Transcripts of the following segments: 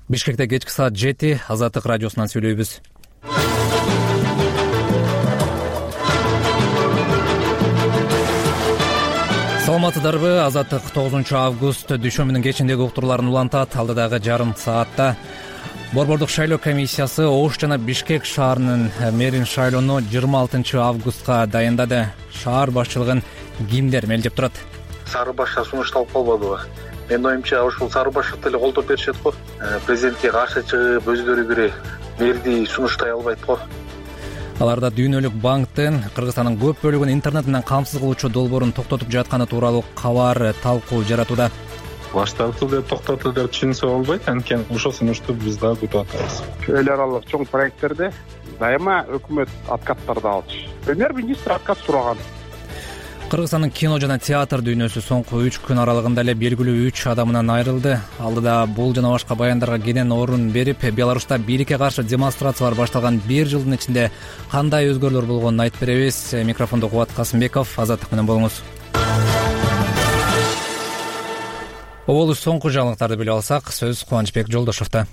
Бишкекте кечки саат 7 Азаттык радиосунан сүйлөйбүз. Саламатсыздарбы? Азаттык 9 август дүйшөмбүнүн кечиндеги уктурууларын улантат. Алдыдагы жарым саатта Борбордук шайлоо комиссиясы Ош жана Бишкек шаарынын мэрин шайлоону 26 августка дайындады. Шаар башчылыгын кимдер мелдеп турат? Сары башка сунушталып калбадыбы? Менин оюмча ушул сары башчылыкты эле колдоп беришет го. Президентке каршы чыгып өздөрү кире мэрди сунуштай албайт го. Аларда Дүйнөлүк банктын Кыргызстандын көп бөлүгүн интернет менен камсыз кылуучу долбоорун токтотуп жатканы тууралуу кабар талкуу жаратууда. Баштапты деп токтоту деп түшүнсө болбойт, анткени ошол сунушту биз дагы күтүп атабыз. Эл аралык чоң проекттерде дайыма өкмөт откаттарды алчу. Премьер-министр откат сураган. Кыргызстандын кино жана театр дүйнөсү соңку 3 күн аралыгында эле белгилүү 3 адамынан айрылды. Алдыда бул жана башка баяндарга кенен орун берип, Беларуста бийликке каршы демонстрациялар башталган 1 жылдын ичинде кандай өзгөрүүлөр болгонун айтып беребиз. Микрофондо Кубат Касымбеков, Азаттык менен болуңуз. Оболу соңку жаңылыктарды билип алсак, сөз Кубанычбек Жолдошовдо.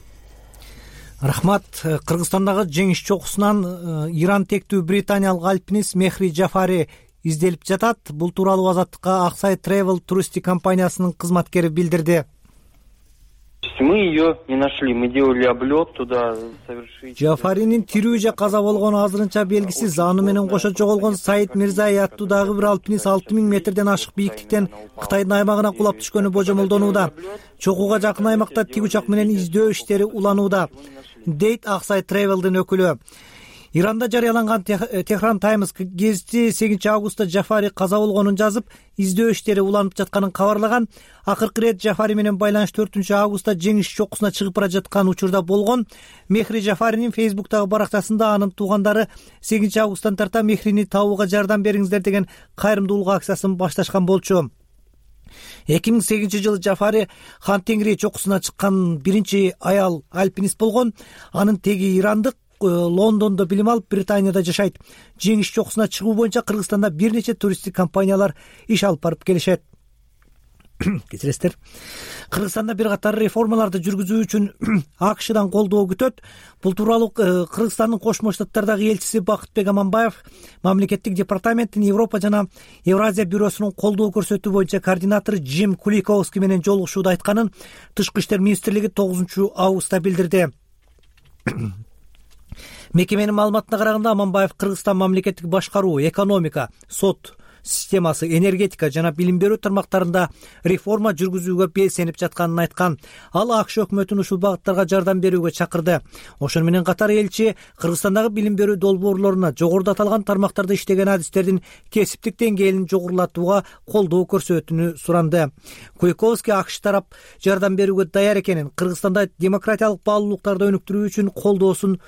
Рахмат. Кыргызстандагы жеңиш чокусунан Иран тектүү британиялык альпинист Мехри Жафари изделип жатат. Бул тууралуу Азаттыкка Аксай Travel туристик компаниясынын кызматкери билдирди. Мы ее не нашли, мы делали облет туда совершить. Жафаринин тирүү же каза болгону азырынча белгисиз. Аны менен кошо жоголгон Саид Мирзай аттуудагы бир альпинист 6000 метрден ашык бийиктиктен Кытайдын аймагына кулап түшкөнү божомолдонууда. Чокуга жакын аймакта тик учак менен издөө иштери уланууда, дейт Аксай Travel'дын өкүлү. Иранда жарыяланган Tehran Times гезити 8 августта Жафари каза болгонун жазып, издөө иштери уланып жатканын кабарлаган. Акыркы ирет Жафари менен байланыш 4 августта жеңиш чокусуна чыгып бара жаткан учурда болгон. Мехри Жафаринин Facebook'тагы баракчасында анын туугандары 8 августтан тарта Мехрини табууга жардам бериңиздер деген кайрымдуулук акциясын башташкан болчу. 2008-жылы Жафари Хан Тенгри чокусуна чыккан биринчи аял альпинист болгон. Анын теги ирандык, Лондондо билим алып, Британияда жашайт. Жеңиш чокусуна чыгуу боюнча Кыргызстанда бир нече туристтик компаниялар иш алып барып келишет. Кечиресиздер. Кыргызстанда бир катар реформаларды жүргүзүү үчүн АКШдан колдоо күтөт. Бул тууралуу Кыргызстандын Кошмо Штаттардагы элчиси Бакытбек Аманбаев мамлекеттик департаменттин Европа жана Евразия бюросунун колдоо көрсөтүү боюнча координатору Джим Куликовский менен жолугушууда айтканын Тышкы иштер министрлиги 9 августта билдирди. Мекеменин маалыматына караганда, Аманбаев Кыргызстан мамлекеттик башкаруу, экономика, сот системасы, энергетика жана билим берүү тармактарында реформа жүргүзүүгө белсенип жатканын айткан. Ал АКШ өкмөтүн ушул багыттарга жардам берүүгө чакырды. Ошону менен катар элчи Кыргызстандагы билим берүү долбоорлоруна жогоруда аталган тармактарда иштеген адистердин кесиптик деңгээлин жогорулатууга колдоо көрсөтүүнү суранды. Куликовский АКШ тарап жардам берүүгө даяр экенин, Кыргызстанда демократиялык баалуулуктарды өнүктүрүү үчүн колдоосун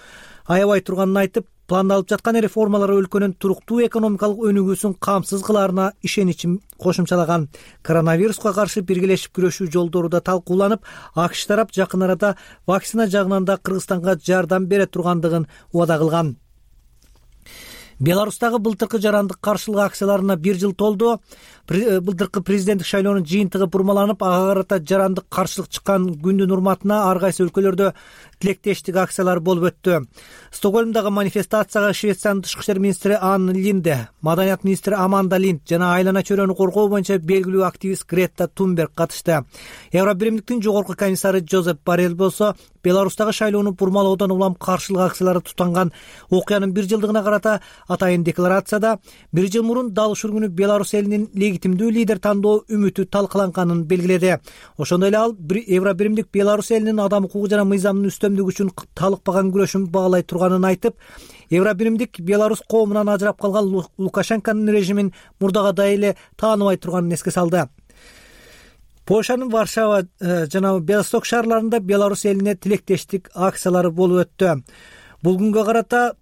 аябай турганын айтып, пландалып жаткан реформалар өлкөнүн туруктуу экономикалык өнүгүүсүн камсыз кылаарына ишеничин кошумчалаган. Коронавируска каршы биргелешип күрөшүү жолдору да талкууланып, АКШ тарап жакын арада вакцина жагынан да Кыргызстанга жардам бере тургандыгын убада кылган. Беларустагы былтыркы жарандык каршылык акцияларына 1 жыл толду. Былтыркы президенттик шайлоонун жыйынтыгы бурмаланып, ага карата жарандык каршылык чыккан күндүн урматына ар кайсы өлкөлөрдө тилектештик акциялар болуп өттү. Стокгольмдагы манифестацияга Швециянын тышкы иштер министри Анн Линде, маданият министри Аманда Линд жана айлана чөйрөнү коргоо боюнча белгилүү активист Грета Тунберг катышты. Евробиримдиктин жогорку комиссары Жозеп Боррелл болсо, Беларустагы шайлоону бурмалоодон улам каршылык акциялары тутанган окуянын 1 жылдыгына карата атайын декларацияда 1 жыл мурун дал ушул күнү Беларусь элинин легитимдүү лидер тандоо үмүтү талкаланганын белгиледи. Ошондой эле ал Евробиримдик Беларусь элинин адам укугу жана мыйзамдын үстөмдүгү үчүн талыкпаган күрөшүн баалай турганын айтып, Евробиримдик Беларусь коомунан ажырап калган Лукашенконун режимин мурдагыдай эле тааныбай турганын эске салды. Польшанын Варшава жана Белосток шаарларында Беларусь элине тилектештик акциялары болуп өттү. Бул күнгө карата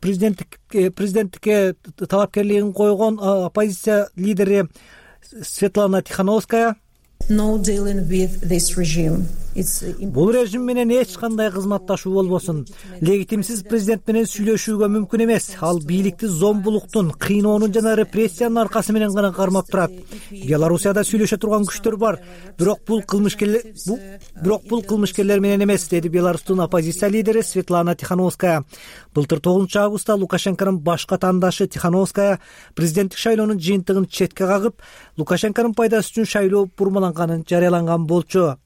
президенттикке талапкерлигин койгон оппозиция лидери Светлана Тихановская No dealing with this regime. Бул режим менен эч кандай кызматташуу болбосун. Легитимсиз президент менен сүйлөшүүгө мүмкүн эмес. Ал бийликти зомбулуктун, кыйноонун жана репрессиянын аркасы менен гана кармап турат. Белоруссияда сүйлөшө турган күчтөр бар, бирок бул кылмышкерлер менен эмес, деди Беларустун оппозиция лидери Светлана Тихановская. Былтыр 9 августта Лукашенконун башка тандашы Тихановская президенттик шайлоонун жыйынтыгын четке кагып, Лукашенконун пайдасы үчүн шайлоо бурмаланганын жарыяланган болчу.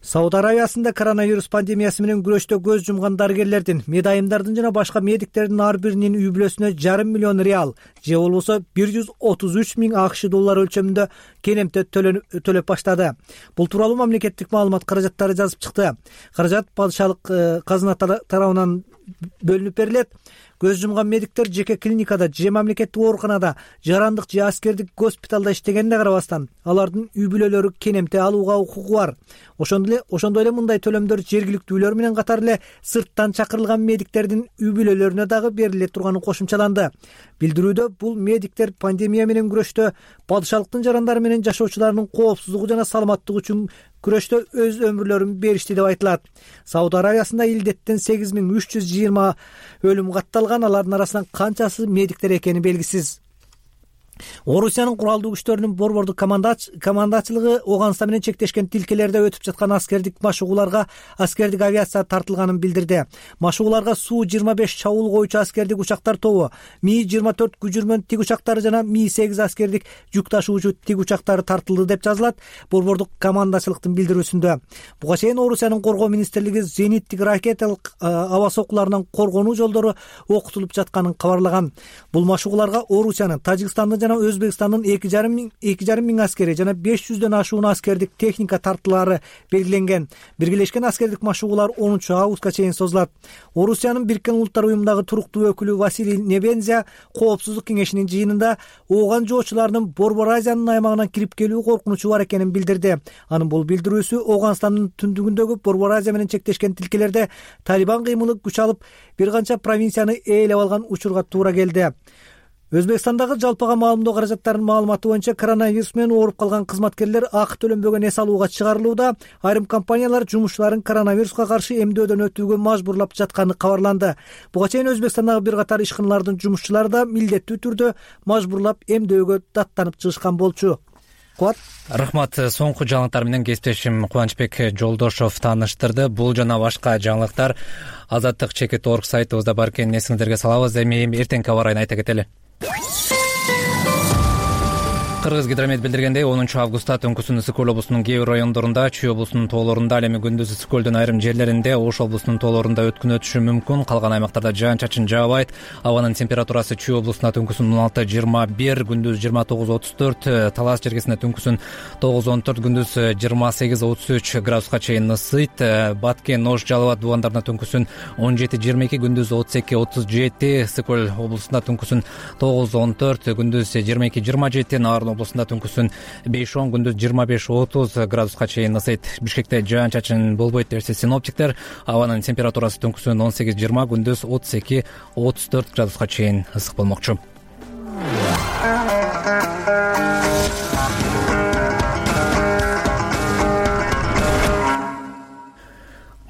Сауд Аравиясында коронавирус пандемиясы менен күрөштө көз жумган дарыгерлердин, медайымдардын жана башка медиктердин ар биринин үй бүлөсүнө 5,5 миллион реал, же болбосо 133 миң АКШ доллары өлчөмүндө келемте төлөп баштады. Бул тууралуу мамлекеттик маалымат каражаттары жазып чыкты. Каражат падышалык казына тарабынан бөлүнүп берилет. Көз жумган медиктер жеке клиникада же мамлекеттик ооруканада, жарандык же аскердик госпиталда иштегенине карабастан, алардын үй бүлөлөрү кенемте алууга укугу бар. Ошондой эле мындай төлөмдөр жергиликтүүлөр менен катар эле сырттан чакырылган медиктердин үй бүлөлөрүнө дагы бериле турганы кошумчаланды. Билдирүүдө бул медиктер пандемия менен күрөштө падышалыктын жарандары менен жашоочуларынын коопсуздугу жана саламаттыгы үчүн күрөштө өз өмүрлөрүн беришти деп айтылат. Сауд Аравиясында илдеттен 8320 өлүм катталган, алардын арасынан канчасы медиктер экени белгисиз. Орусиянын куралдуу күчтөрүнүн борбордук командачылыгы Оганстан менен чектешкен тилкелерде өтүп жаткан аскердик машыгууларга аскердик авиация тартылганын билдирди. Машыгууларга Су-25 чабуул коюучу аскердик учактар тобу, Ми-24 күжүрмөн тик учактары жана Ми-8 аскердик жүк ташуучу тик учактары тартылды деп жазылат борбордук командачылыктын билдирүүсүндө. Буга чейин Орусиянын коргоо министрлиги зениттик ракеталык аба соккуларынан коргонуу жолдору окутулуп жатканын кабарлаган. Бул машыгууларга Орусиянын, Тажикстандын жана Өзбекстандын 2,5 миң аскери жана 500дөн ашуун аскердик техника тартылары белгиленген. Биргелешкен аскердик машыгуулар 10 августка чейин созулат. Орусиянын Бириккен Улуттар уюмундагы туруктуу өкүлү Василий Небензя Коопсуздук кеңешинин жыйынында ооган жоочулардын Борбор Азиянын аймагына кирип келүү коркунучу бар экенин билдирди. Анын бул билдирүүсү Оганстандын түндүгүндөгү Борбор Азия менен чектешкен тилкелерде Талибан кыймылы күч алып, бир канча провинцияны ээлеп алган учурга туура келди. Өзбекстандагы жалпыга маалымдоо каражаттарынын маалыматы боюнча коронавирус менен ооруп калган кызматкерлер акы төлөнбөгөн эс алууга чыгарылууда. Айрым компаниялар жумушчуларын коронавируска каршы эмдөөдөн өтүүгө мажбурлап жатканы кабарланды. Буга чейин Өзбекстандагы бир катар ишканалардын жумушчулары да милдеттүү түрдө мажбурлап эмдөөгө даттанып чыгышкан болчу. Рахмат. Соңку жаңылыктар менен кесиптешим Кубанычбек Жолдошов тааныштырды. Бул жана башка жаңылыктар Азаттык.org сайтыбызда бар экенин эсиңиздерге салабыз. Эми эртеңки аба ырайын айта кетели. Кыргызгидромет билдиргендей 10 августта түнкүсүн Ысык Көл облусунун кээ бир райондорунда, Чүй облусунун тоолорунда, ал эми күндүз Ысык Көлдүн айрым жерлеринде, Ош облусунун тоолорунда өткүн өтүшү мүмкүн. Калган аймактарда жаан-чачын жаабайт. Абанын температурасы Чүй облусунда түнкүсүн 16-21, күндүз 29-34, Талас жергесинде түнкүсүн 9-14, күндүз 28-33 градуска чейин ысыйт. Баткен, Ош, Жалал абад дубандарында түнкүсүн 17-22, күндүз 32-37, Ысык Көл облусунда түнкүсүн 9-14, күндүз 22-27, Нарын облусунда түнкүсүн 5-10, күндүз 25-30 градуска чейин ысыйт. Бишкекте жаан-чачын болбойт дешти синоптиктер. Абанын температурасы түнкүсүн 18-20, күндүз 32-34 градуска чейин ысык болмокчу.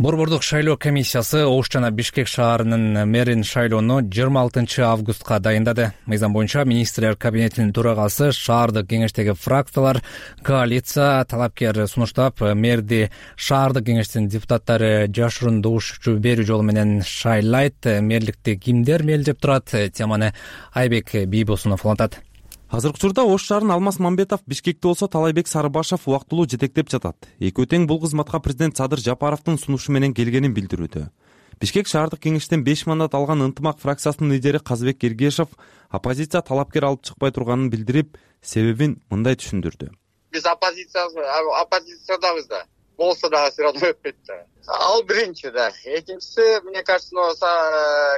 Борбордук шайлоо комиссиясы Ош жана Бишкек шаарынын мэрин шайлоону 26 августка дайындады. Мыйзам боюнча министрлер кабинетинин төрагасы, шаардык кеңештеги фракциялар, коалиция талапкер сунуштап, мэрди шаардык кеңештин депутаттары жашыруун добуш берүү жолу менен шайлайт. Мэрликти кимдер мээлдеп турат? Теманы Айбек Бийбосунов улантат. Азыркы учурда Ош шаарынын Алмаз Мамбетов, Бишкекте болсо Талайбек Сарыбашев убактылуу жетектеп жатат. Экөө тең бул кызматка президент Садыр Жапаровдун сунушу менен келгенин билдирүүдө. Бишкек шаардык кеңештен 5 мандат алган Ынтымак фракциясынын лидери Казбек Эргешев оппозиция талапкер алып чыкпай турганын билдирип, себебин мындай түшүндүрдү. Биз оппозициядабыз да. Болсо дагы все равно өтпөйт да. Ал биринчи да. Экинчиси, мне кажется,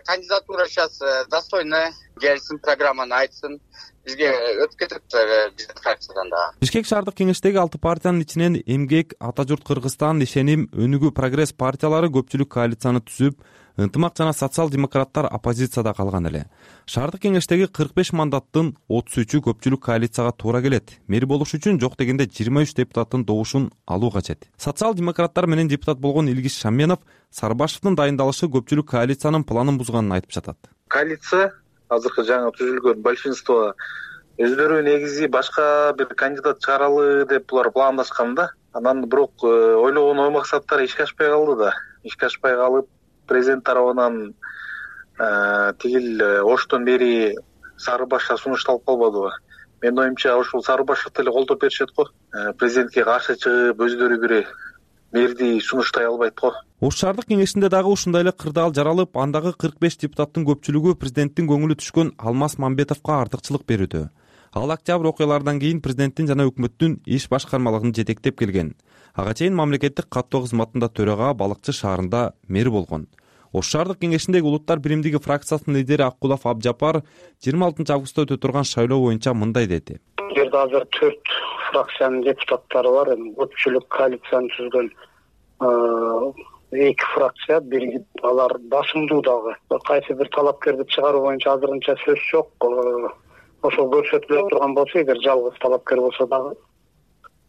кандидатура сейчас достойная. Келсин, программаны айтсын. бизге өтүп кетет биздин фракциядан да. Бишкек шаардык кеңештеги 6 партиянын ичинен Эмгек, Ата журт Кыргызстан, Ишеним, Өнүгүү, Прогресс партиялары көпчүлүк коалицияны түзүп, Ынтымак жана социал-демократтар оппозицияда калган эле. Шаардык кеңештеги 45 мандаттын 33-ү көпчүлүк коалицияга туура келет. Мэр болуш үчүн жок дегенде 23 депутаттын добушун алуу кажет. Социал-демократтар менен депутат болгон Илгиз Шамменов Сарыбашевдин дайындалышы көпчүлүк коалициянын планын бузганын айтып жатат. Коалиция азыркы жаңы түзүлгөн большинство өздөрү негизи башка бир кандидат чыгаралы деп булар пландашкан да. Анан бирок ойлогон ой максаттары ишке ашпай калды да. Ишке ашпай калып, президент тарабынан тигил Оштон бери Сарыбашка сунушталып калбадыбы? Менин оюмча ушул Сарыбашевди эле колдоп беришет го. Президентке каршы чыгып өздөрү бир мэрди сунуштай албайт го. Ош шаардык кеңешинде дагы ушундай эле кырдаал жаралып, андагы 45 депутаттын көпчүлүгү президенттин көңүлү түшкөн Алмаз Мамбетовго артыкчылык берүүдө. Ал октябрь окуяларынан кийин президенттин жана өкмөттүн иш башкармалыгын жетектеп келген. Ага чейин мамлекеттик каттоо кызматында төрага, Балыкчы шаарында мэр болгон. Ош шаардык кеңешиндеги улуттар биримдиги фракциясынын лидери Аккулов Абжапар 26 августта өтө турган шайлоо боюнча мындай деди. Бул жерде азыр 4 фракциянын депутаттары бар. Көпчүлүк коалицияны түзгөн 2 фракция, алар басымдуу дагы. Кайсы бир талапкерди чыгаруу боюнча азырынча сөз жок. Ошол көрсөтүлө турган болсо, эгер жалгыз талапкер болсо дагы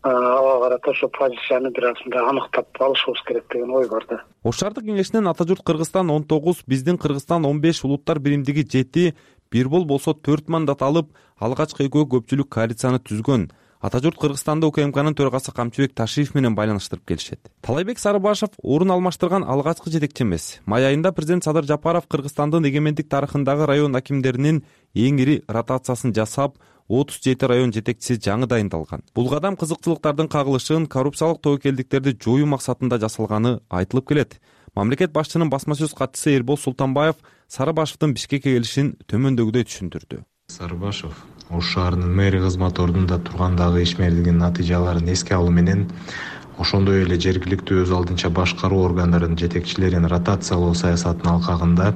ага карата ошо позицияны бир азында аныктап алышыбыз керек деген ой бар да. Ош шаардык кеңешинен Ата журт Кыргызстан 19, биздин Кыргызстан 15, улуттар биримдиги 7, Бирбол болсо 4 мандат алып, алгачкы экөө көпчүлүк коалицияны түзгөн. Ата журт Кыргызстанды УКМКнын төрагасы Камчыбек Ташиев менен байланыштырып келишет. Талайбек Сарыбашев орун алмаштырган алгачкы жетекчи эмес. Май айында президент Садыр Жапаров Кыргызстандын эгемендик тарыхындагы район акимдеринин эң ири ротациясын жасап, 37 район жетекчиси жаңы дайындалган. Бул кадам кызыкчылыктардын кагылышын, коррупциялык тобокелдиктерди жоюу максатында жасалганы айтылып келет. Мамлекет башчынын басма сөз катчысы Эрбол Султанбаев Сарыбашевдин Бишкекке келишин төмөндөгүдөй түшүндүрдү. Сарыбашев Ош шаарынын мэри кызматы ордунда тургандагы ишмердигинин натыйжаларын эске алуу менен ошондой эле жергиликтүү өз алдынча башкаруу органдарынын жетекчилерин ротациялоо саясатынын алкагында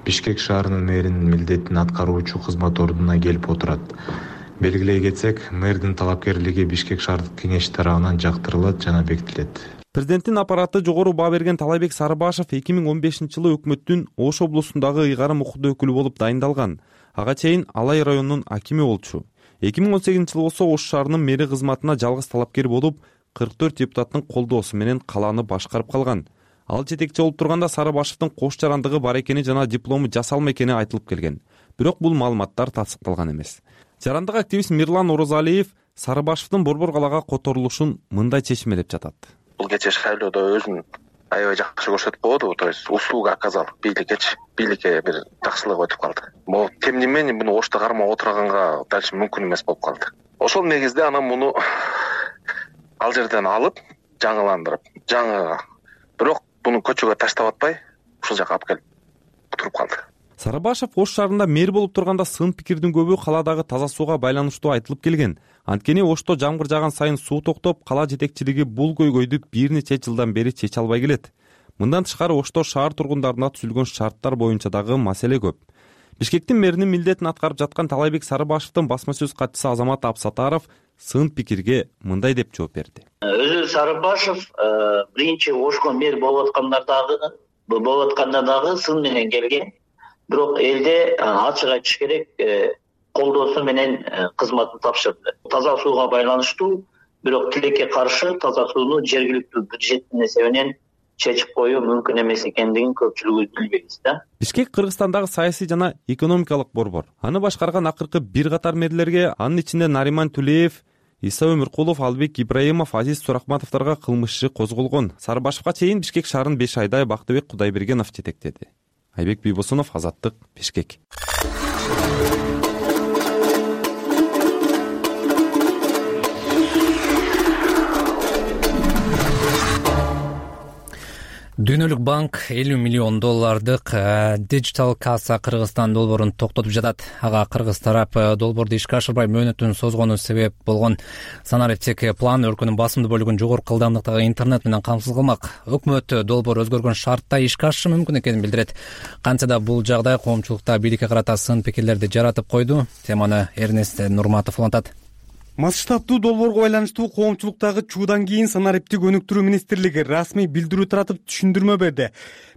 Бишкек шаарынын мэринин милдетин аткаруучу кызмат ордуна келип отурат. Белгилей кетсек, мэрдин талапкерлиги Бишкек шаардык кеңеши тарабынан жактырылат жана бекитилет. Президенттин аппараты жогору баа берген Талайбек Сарыбашев 2015-жылы өкмөттүн Ош облусундагы ыйгарым укуктуу өкүлү болуп дайындалган. Ага чейин Алай районунун акими болчу. 2018-жылы болсо Ош шаарынын мэри кызматына жалгыз талапкер болуп, 44 депутаттын колдоосу менен калааны башкарып калган. Ал жетекчи болуп турганда Сарыбашевдин кош жарандыгы бар экени жана диплому жасалма экени айтылып келген. Бирок бул маалыматтар тасдыкталган эмес. Жарандык активист Мирлан Орозалиев Сарыбашевдин Борбор калаага которулушун мындай чечмелеп жатат. Бул кечээ шайлоодо өзүн аябай жакшы көрсөтүп койду, то есть услуга оказал бийликке бир жакшылык өтүп калды. Могу тем не менее муну Ошто кармап отурганга дальше мүмкүн эмес болуп калды. Ошол негизде анан муну ал жерден алып, жаңыландырып, бирок буну көчөгө таштап атпай, ушул жака алып келип туруп калды. Сарыбашев Ош шаарында мэр болуп турганда сын пикирдин көбү каладагы таза сууга байланыштуу айтылып келген. Анткени Ошто жамгыр жааган сайын суу токтоп, кала жетекчилиги бул көйгөйдү бир нече жылдан бери чече албай келет. Мындан тышкары Ошто шаар тургундарына түзүлгөн шарттар боюнча дагы маселе көп. Бишкектин мэринин милдетин аткарып жаткан Талайбек Сарыбашевдин басма сөз катчысы Азамат Абсатаров сын пикирге мындай деп жооп берди. Өзү Сарыбашев биринчи Ошко мэр болуп атканда дагы сын менен келген. Бирок элде ачык айтыш керек, колдоосу менен кызматын тапшырды. Таза сууга байланыштуу, бирок тилекке каршы таза сууну жергиликтүү бюджеттин эсебинен чечип коюу мүмкүн эмес экендигин көпчүлүгү билбейбиз да. Бишкек Кыргызстандагы саясий жана экономикалык борбор. Аны башкарган акыркы бир катар мэрлерге, анын ичинде Нариман Тулеев, Иса Өмүркулов, Албек Ибраимов, Азиз Сурахматовдорго кылмыш иши козголгон. Сарыбашевга чейин Бишкек шаарын 5 айдай Бактыбек Кудайбергенов жетектеди. Айбек Бийбосунов, Азаттык, Бишкек. Дүйнөлүк банк $50 миллион Digital Kassa Кыргызстан долбоорун токтотуп жатат. Ага кыргыз тарап долбоорду ишке ашырбай мөөнөтүн созгону себеп болгон санариптик план өлкөнүн басымдуу бөлүгүн жогорку ылдамдыктагы интернет менен камсыз кылмак. Өкмөт долбоор өзгөргөн шартта ишке ашышы мүмкүн экенин билдирет. Кантсе да бул жагдай коомчулукта бийликке карата сын пикирлерди жаратып койду. Теманы Эрнест Нурматов улантат. Масштабдуу долбоорго байланыштуу коомчулуктагы чуудан кийин санариптик өнүктүрүү министрлиги расмий билдирүү таратып түшүндүрмө берди.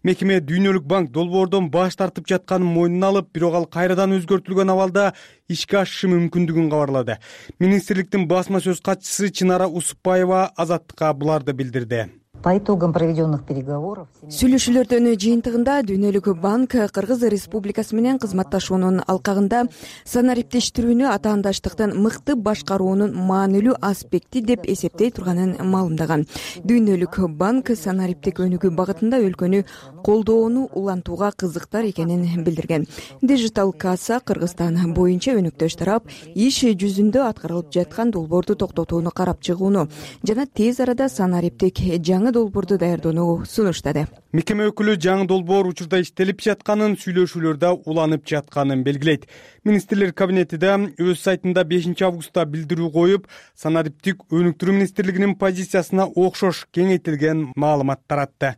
Мекеме Дүйнөлүк банк долбоордон баш тартып жатканын мойнуна алып, бирок ал кайрадан өзгөртүлгөн абалда ишке ашышы мүмкүндүгүн кабарлады. Министрликтин басма сөз катчысы Чынара Усупбаева Азаттыкка буларды билдирди. По итогам проведенных переговоров сүйлөшүүлөрдүн жыйынтыгында Дүйнөлүк банк Кыргыз Республикасы менен кызматташуунун алкагында санариптештирүүнү атаандаштыктын мыкты башкаруунун маанилүү аспекти деп эсептей турганын маалымдаган. Дүйнөлүк банк санариптик өнүгүү багытында өлкөнү колдоону улантууга кызыктар экенин билдирген. Digital Kassa Кыргызстан боюнча өнөктөш тарап иш жүзүндө аткарылып жаткан долбоорду токтотууну карап чыгууну жана тез арада санариптик жаңы долбоорду даярдоону сунуштады. Мекеме өкүлү жаңы долбоор учурда иштелип жатканын, сүйлөшүүлөрдө уланып жатканын белгилейт. Министрлер кабинети да өз сайтында 5 августта билдирүү коюп, санариптик өнүктүрүү министрлигинин позициясына окшош кеңейтилген маалымат таратты.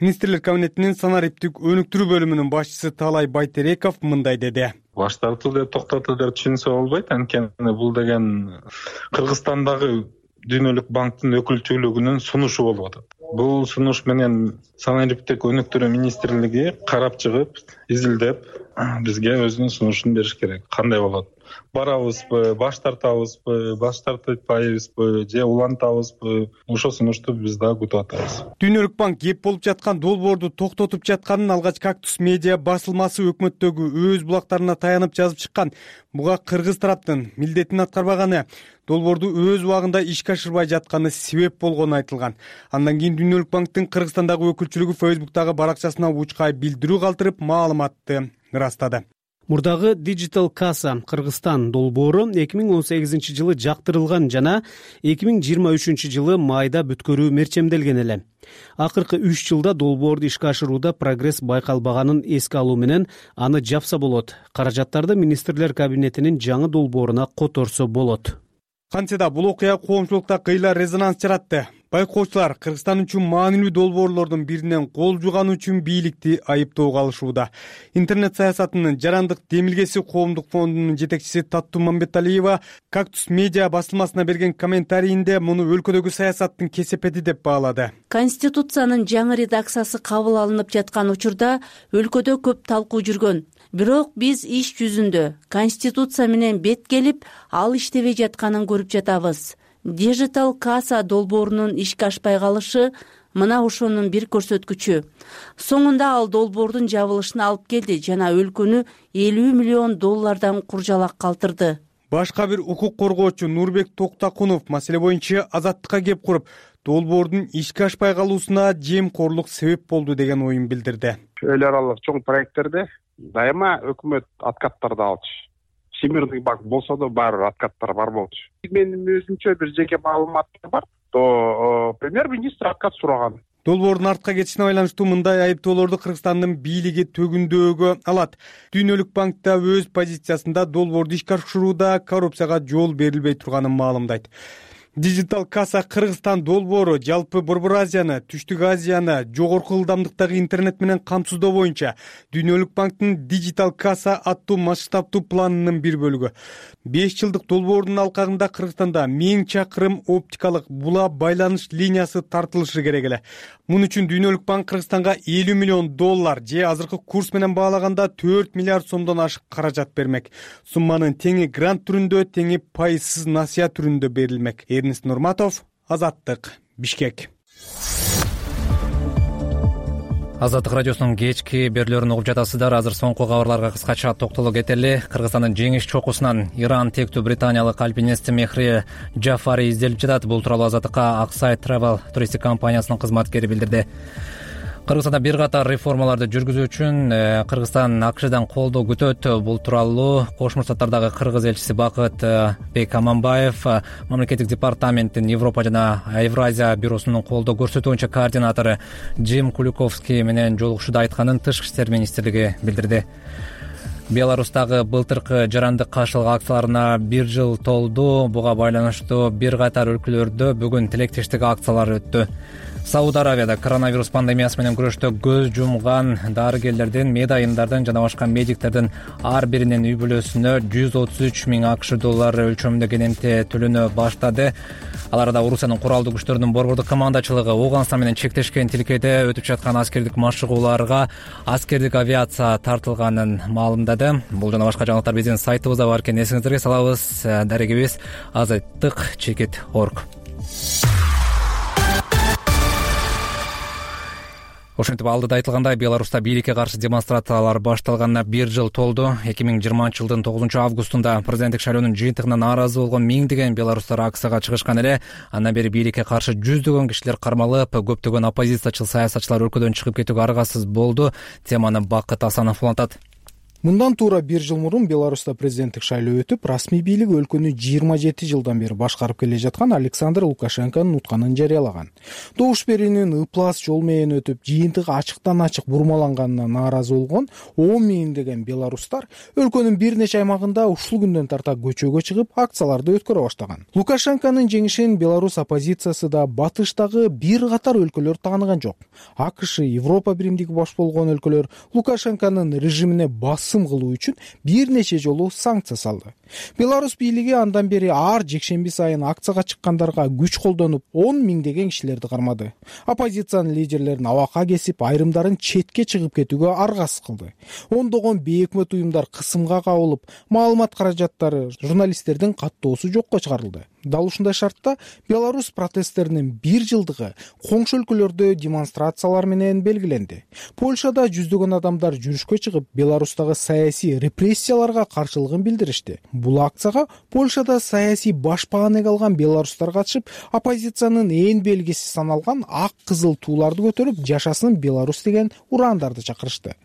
Министрлер кабинетинин санариптик өнүктүрүү бөлүмүнүн башчысы Таалай Байтереков мындай деди. Баш тартуу деп токтотуу деп түшүнсө болбойт, анткени бул деген Кыргызстандагы Дүйнөлүк банктын өкүлчүлүгүнүн сунушу болуп атат. Бул сунуш менен санариптик өнүктүрүү министрлиги карап чыгып, изилдеп, бизге өзүнүн сунушун бериш керек. Кандай болот? Барабызбы, баш тартабызбы, баш тартпайбызбы, же улантабызбы? Ошол сунушту биз да күтүп атабыз. Дүйнөлүк банк кеп болуп жаткан долбоорду токтотуп жатканын алгач Кактус медиа басылмасы өкмөттөгү өз булактарына таянып жазып чыккан. Буга кыргыз тараптын милдетин аткарбаганы, долбоорду өз убагында ишке ашырбай жатканы себеп болгону айтылган. Андан кийин Дүйнөлүк банктын Кыргызстандагы өкүлчүлүгү Facebook'тагы баракчасына учкай билдирүү калтырып, маалыматты ырастады. Мурдагы Digital Kassa Кыргызстан долбоору 2018 жылы жактырылган жана 2023 жылы майда бүткөрүү мерчемделген эле. Акыркы 3 жылда долбоорду ишке ашырууда прогресс байкалбаганын эске алуу менен аны жапса болот. Каражаттарды министрлер кабинетинин жаңы долбооруна которсо болот. Кантсе да бул окуя коомчулукта кыйла резонанс жаратты. Байкоочулар Кыргызстан үчүн маанилүү долбоорлордун биринен кол жуганы үчүн бийликти айыптоого алышууда. Интернет саясатынын жарандык демилгеси коомдук фондунун жетекчиси Таттуу Мамбеталиева Кактус медиа басылмасына берген комментарийинде муну өлкөдөгү саясаттын кесепети деп баалады. Конституциянын жаңы редакциясы кабыл алынып жаткан учурда өлкөдө көп талкуу жүргөн. Бирок биз иш жүзүндө Конституция менен бет келип, ал иштебей жатканын көрүп жатабыз. Digital Kassa долбоорунун ишке ашпай калышы мына ошонун бир көрсөткүчү. Соңунда ал долбоордун жабылышына алып келди жана өлкөнү $50 миллион куржалак калтырды. Башка бир укук коргоочу Нурбек Токтакунов маселе боюнча Азаттыкка кеп куруп, долбоордун ишке ашпай калуусуна жемкорлук себеп болду деген оюн билдирди. Эл аралык чоң проекттерде дайыма өкмөт откаттарды алчу. Всемирный банк болсо да баары откаттар бар болчу. Менин өзүмчө бир жеке маалыматтар бар. Премьер-министр откат сураган. Долбоордун артка кетишине байланыштуу мындай айыптоолорду Кыргызстандын бийлиги төгүндөөгө алат. Дүйнөлүк банк да өз позициясында долбоорду ишке ашырууда коррупцияга жол берилбей турганын маалымдайт. Digital Kassa Кыргызстан долбоору жалпы Борбор Азияны, Түштүк Азияны жогорку ылдамдыктагы интернет менен камсыздоо боюнча Дүйнөлүк банктын Digital Kassa аттуу масштабдуу планынын бир бөлүгү. 5 жылдык долбоордун алкагында Кыргызстанда 1000 чакырым оптикалык була байланыш линиясы тартылышы керек эле. Мун үчүн Дүйнөлүк банк Кыргызстанга $50 миллион же азыркы курс менен баалаганда 4 миллиард сомдон ашык каражат бермек. Сумманын теңи грант түрүндө, теңи пайызсыз насыя түрүндө берилмек. Эрнест Нурматов, Азаттык, Бишкек. Азаттык радиосунун кечки берүүлөрүн угуп жатасыздар. Азыр соңку кабарларга кыскача токтолуп кетели. Кыргызстандын жеңиш чокусунан Иран тектүү британиялык альпинист Мехри Джафари изделип жатат. Бул тууралуу Азаттыкка Аксай Travel туристик компаниясынын кызматкери билдирди. Кыргызстанда бир катар реформаларды жүргүзүү үчүн Кыргызстан АКШдан колдоо күтөт. Бул тууралуу Кошмо Штаттардагы кыргыз элчиси Бакыт Бек Аманбаев мамлекеттик департаменттин Европа жана Евразия бюросунун колдоо көрсөтүү боюнча координатору Джим Куликовский менен жолугушууда айтканын Тышкы иштер министрлиги билдирди. Беларустагы былтыркы жарандык каршылык акцияларына 1 жыл толду. Буга байланыштуу бир катар өлкөлөрдө бүгүн тилектештик акциялар өттү. Сауд Аравияда коронавирус пандемиясы менен күрөштө көз жумган дарыгерлердин, медайымдардын жана башка медиктердин ар биринин үй бүлөсүнө 133 000 АКШ доллары өлчөмүндө кенемти төлөнө баштады. Аларда Орусиянын куралдуу күчтөрүнүн борбордук командачылыгы Ооганстан менен чектешкен тилкеде өтүп жаткан аскердик машыгууларга аскердик авиация тартылганын маалымдады. Бул жана башка жаңылыктар биздин сайтыбызда бар экен. Эсиңиздерге салабыз. Дарегибиз azayttik.org. Ошентип алдыда айтылгандай, Беларуста бийликке каршы демонстрациялар башталганына 1 жыл толду. 2020-жылдын 9-августунда президенттик шайлоонун жыйынтыгына нааразы болгон миңдеген беларустар акцияга чыгышкан эле. Андан бери бийликке каршы жүздөгөн кишилер кармалып, көптөгөн оппозициячыл саясатчылар өлкөдөн чыгып кетүүгө аргасыз болду. Теманы Бакыт Асанов улантат. Мындан туура 1 жыл мурун Беларуста президенттик шайлоо өтүп, расмий бийлик өлкөнү 27 жылдан бери башкарып келе жаткан Александр Лукашенконун утканын жарыялаган. Добуш берүүнүн ыплас жол менен өтүп, жыйынтыгы ачыктан-ачык бурмаланганына нааразы болгон 10 миңдеген беларустар өлкөнүн бир нече аймагында ушул күндөн тарта көчөгө чыгып, акцияларды өткөрө баштаган. Лукашенконун жеңишин беларус оппозициясы да батыштагы бир катар өлкөлөр тааныган жок. АКШ, Европа биримдиги баш болгон өлкөлөр Лукашенконун режимине кылуу үчүн бир нече жолу санкция салды. Беларус бийлиги андан бери ар жекшемби сайын акцияга чыккандарга күч колдонуп, 10 миңдеген кишилерди кармады. Оппозициянын лидерлерин абакка кесип, айрымдарын четке чыгып кетүүгө аргасыз кылды. Ондогон бейөкмөт уюмдар кысымга кабылып, маалымат каражаттары, журналисттердин каттоосу жокко чыгарылды. Дал ушундай шартта Беларусь протесттеринин 1 жылдыгы коңшу өлкөлөрдө демонстрациялар менен белгиленди. Польшада жүздөгөн адамдар жүрүшкө чыгып, Беларустагы саясий репрессияларга каршылыгын билдиришти. Бул акцияга Польшада саясий башпаанек алган беларустар катышып, оппозициянын ээн белгиси саналган ак кызыл тууларды көтөрүп, жашасын Беларусь деген урандарды чакырышты.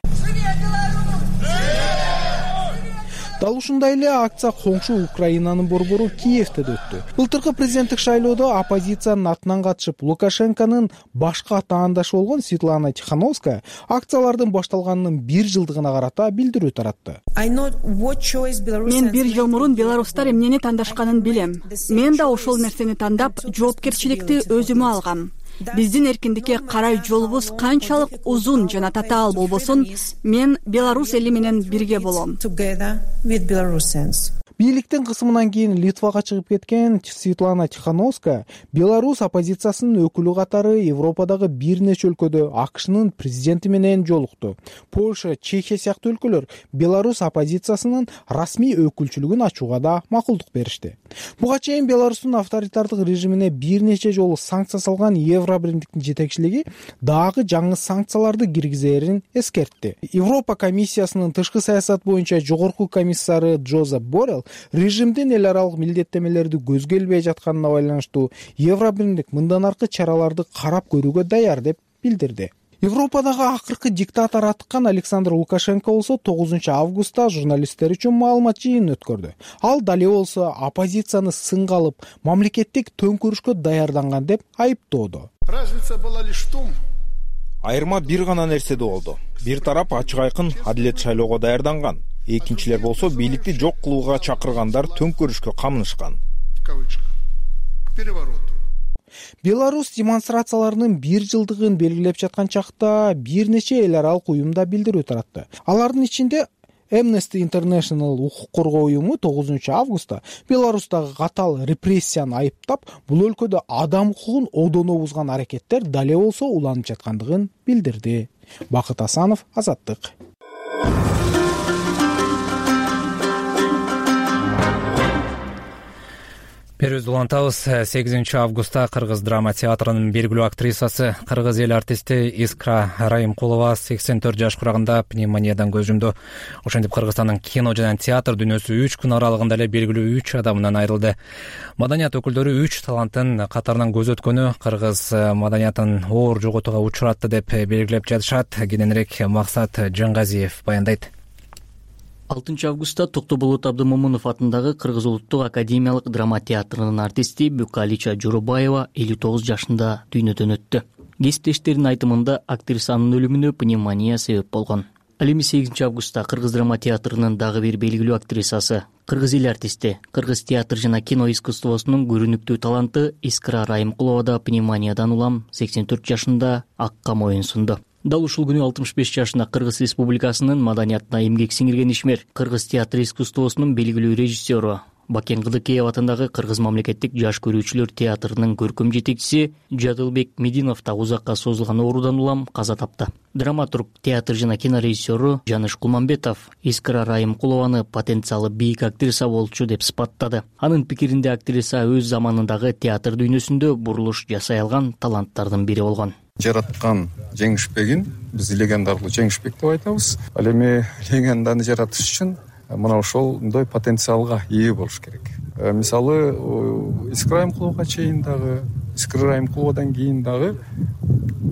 Дал ушундай эле акция коңшу Украинанын борбору Киевде өттү. Былтыркы президенттик шайлоодо оппозициянын атынан катышып, Лукашенконун башка таандашы болгон Светлана Тихановская акциялардын башталганынын 1 жылдыгына карата билдирүү таратты. Мен 1 жыл мурун беларустар эмнени тандашканын билем. Мен да ошол нерсени тандап, жоопкерчиликти өзүмө алгам. Биздин эркиндикке карай жолубуз канчалык узун жана татаал болбосун, мен Беларусь эли менен бирге болом. Бийликтин кысымынан кийин Литвага чыгып кеткен Светлана Тихановская Беларусь оппозициясынын өкүлү катары Европадагы бир нече өлкөдө АКШнын президенти менен жолукту. Польша, Чехия сыяктуу өлкөлөр Беларусь оппозициясынын расмий өкүлчүлүгүн ачууга да макулдук беришти. Буга чейин Беларустун авторитардык режимине бир нече жолу санкция салган Евробиримдиктин жетекчилиги дагы жаңы санкцияларды киргизерин эскертти. Европа комиссиясынын тышкы саясат боюнча жогорку комиссары Джозеп Боррелл режимдин эл аралык милдеттемелерди көзгө илбей жатканына байланыштуу Евробиримдик мындан аркы чараларды карап көрүүгө даяр деп билдирди. Европадагы акыркы диктатор атыккан Александр Лукашенко болсо 9-августта журналисттер үчүн маалымат жыйынын өткөрдү. Ал дале болсо оппозицияны сынга алып, мамлекеттик төңкөрүшкө даярданган деп айыптоодо. Айырма бир гана нерседе болду. Бир тарап ачык айкын адилет шайлоого даярданган. Экинчилер болсо бийликти жок кылууга чакыргандар төңкөрүшкө камынышкан. Беларусь демонстрацияларынын 1 жылдыгын белгилеп жаткан чакта бир нече эл аралык уюмда билдирүү таратты. Алардын ичинде Amnesty International укук коргоо уюму 9-августта Беларустагы катаал репрессияны айыптап, бул өлкөдө адам укугун одоно бузган аракеттер дале болсо уланып жаткандыгын билдирди. Бакыт Асанов, Азаттык. Берүүбүздү улантабыз. 8 августта Кыргыз драма театрынын белгилүү актрисасы, кыргыз эл артисти Искра Райымкулова 84 жаш курагында пневмониядан көз жумду. Ошентип Кыргызстандын кино жана театр дүйнөсү 3 күн аралыгында эле белгилүү 3 адамынан айрылды. Маданият өкүлдөрү 3 таланттын катарынан көз өткөнү кыргыз маданиятын оор жоготууга учуратты деп белгилеп жатышат. Кененирээк Максат Жангазиев баяндайт. 6 августта Токтоболот Абдымомунов атындагы Кыргыз улуттук академиялык драма театрынын артисти Букалича Журубаева 59 жашында дүйнөдөн өттү. Кесиптештеринин айтымында актрисанын өлүмүнө пневмония себеп болгон. Ал эми 8 августта Кыргыз драма театрынын дагы бир белгилүү актрисасы, кыргыз эл артисти, кыргыз театр жана кино искусствосунун көрүнүктүү таланты Искра Райымкулова да пневмониядан улам 84 жашында акка моюн сунду. Дал ушул күнү 65 жашында Кыргыз Республикасынын маданиятына эмгек сиңирген ишмер, кыргыз театр искусствосунун белгилүү режиссеру, Бакен Кыдыкеев атындагы Кыргыз мамлекеттик жаш көрүүчүлөр театрынын көркөм жетекчиси Жадылбек Мединов да узакка созулган оорудан улам каза тапты. Драматург, театр жана кино режиссеру Жаныш Кулманбетов Искра Райымкулованы потенциалы бийик актриса болчу деп сыпаттады. Анын пикиринде актриса өз заманындагы театр дүйнөсүндө бурулуш жасай алган таланттардын бири болгон. Жараткан жеңишпегин биз легендарлуу жеңишбек деп айтабыз. Ал эми легенданы жаратыш үчүн мына ошондой потенциалга ээ болуш керек. Мисалы Искра Райымкуловага чейин дагы, Искра Райымкуловадан кийин дагы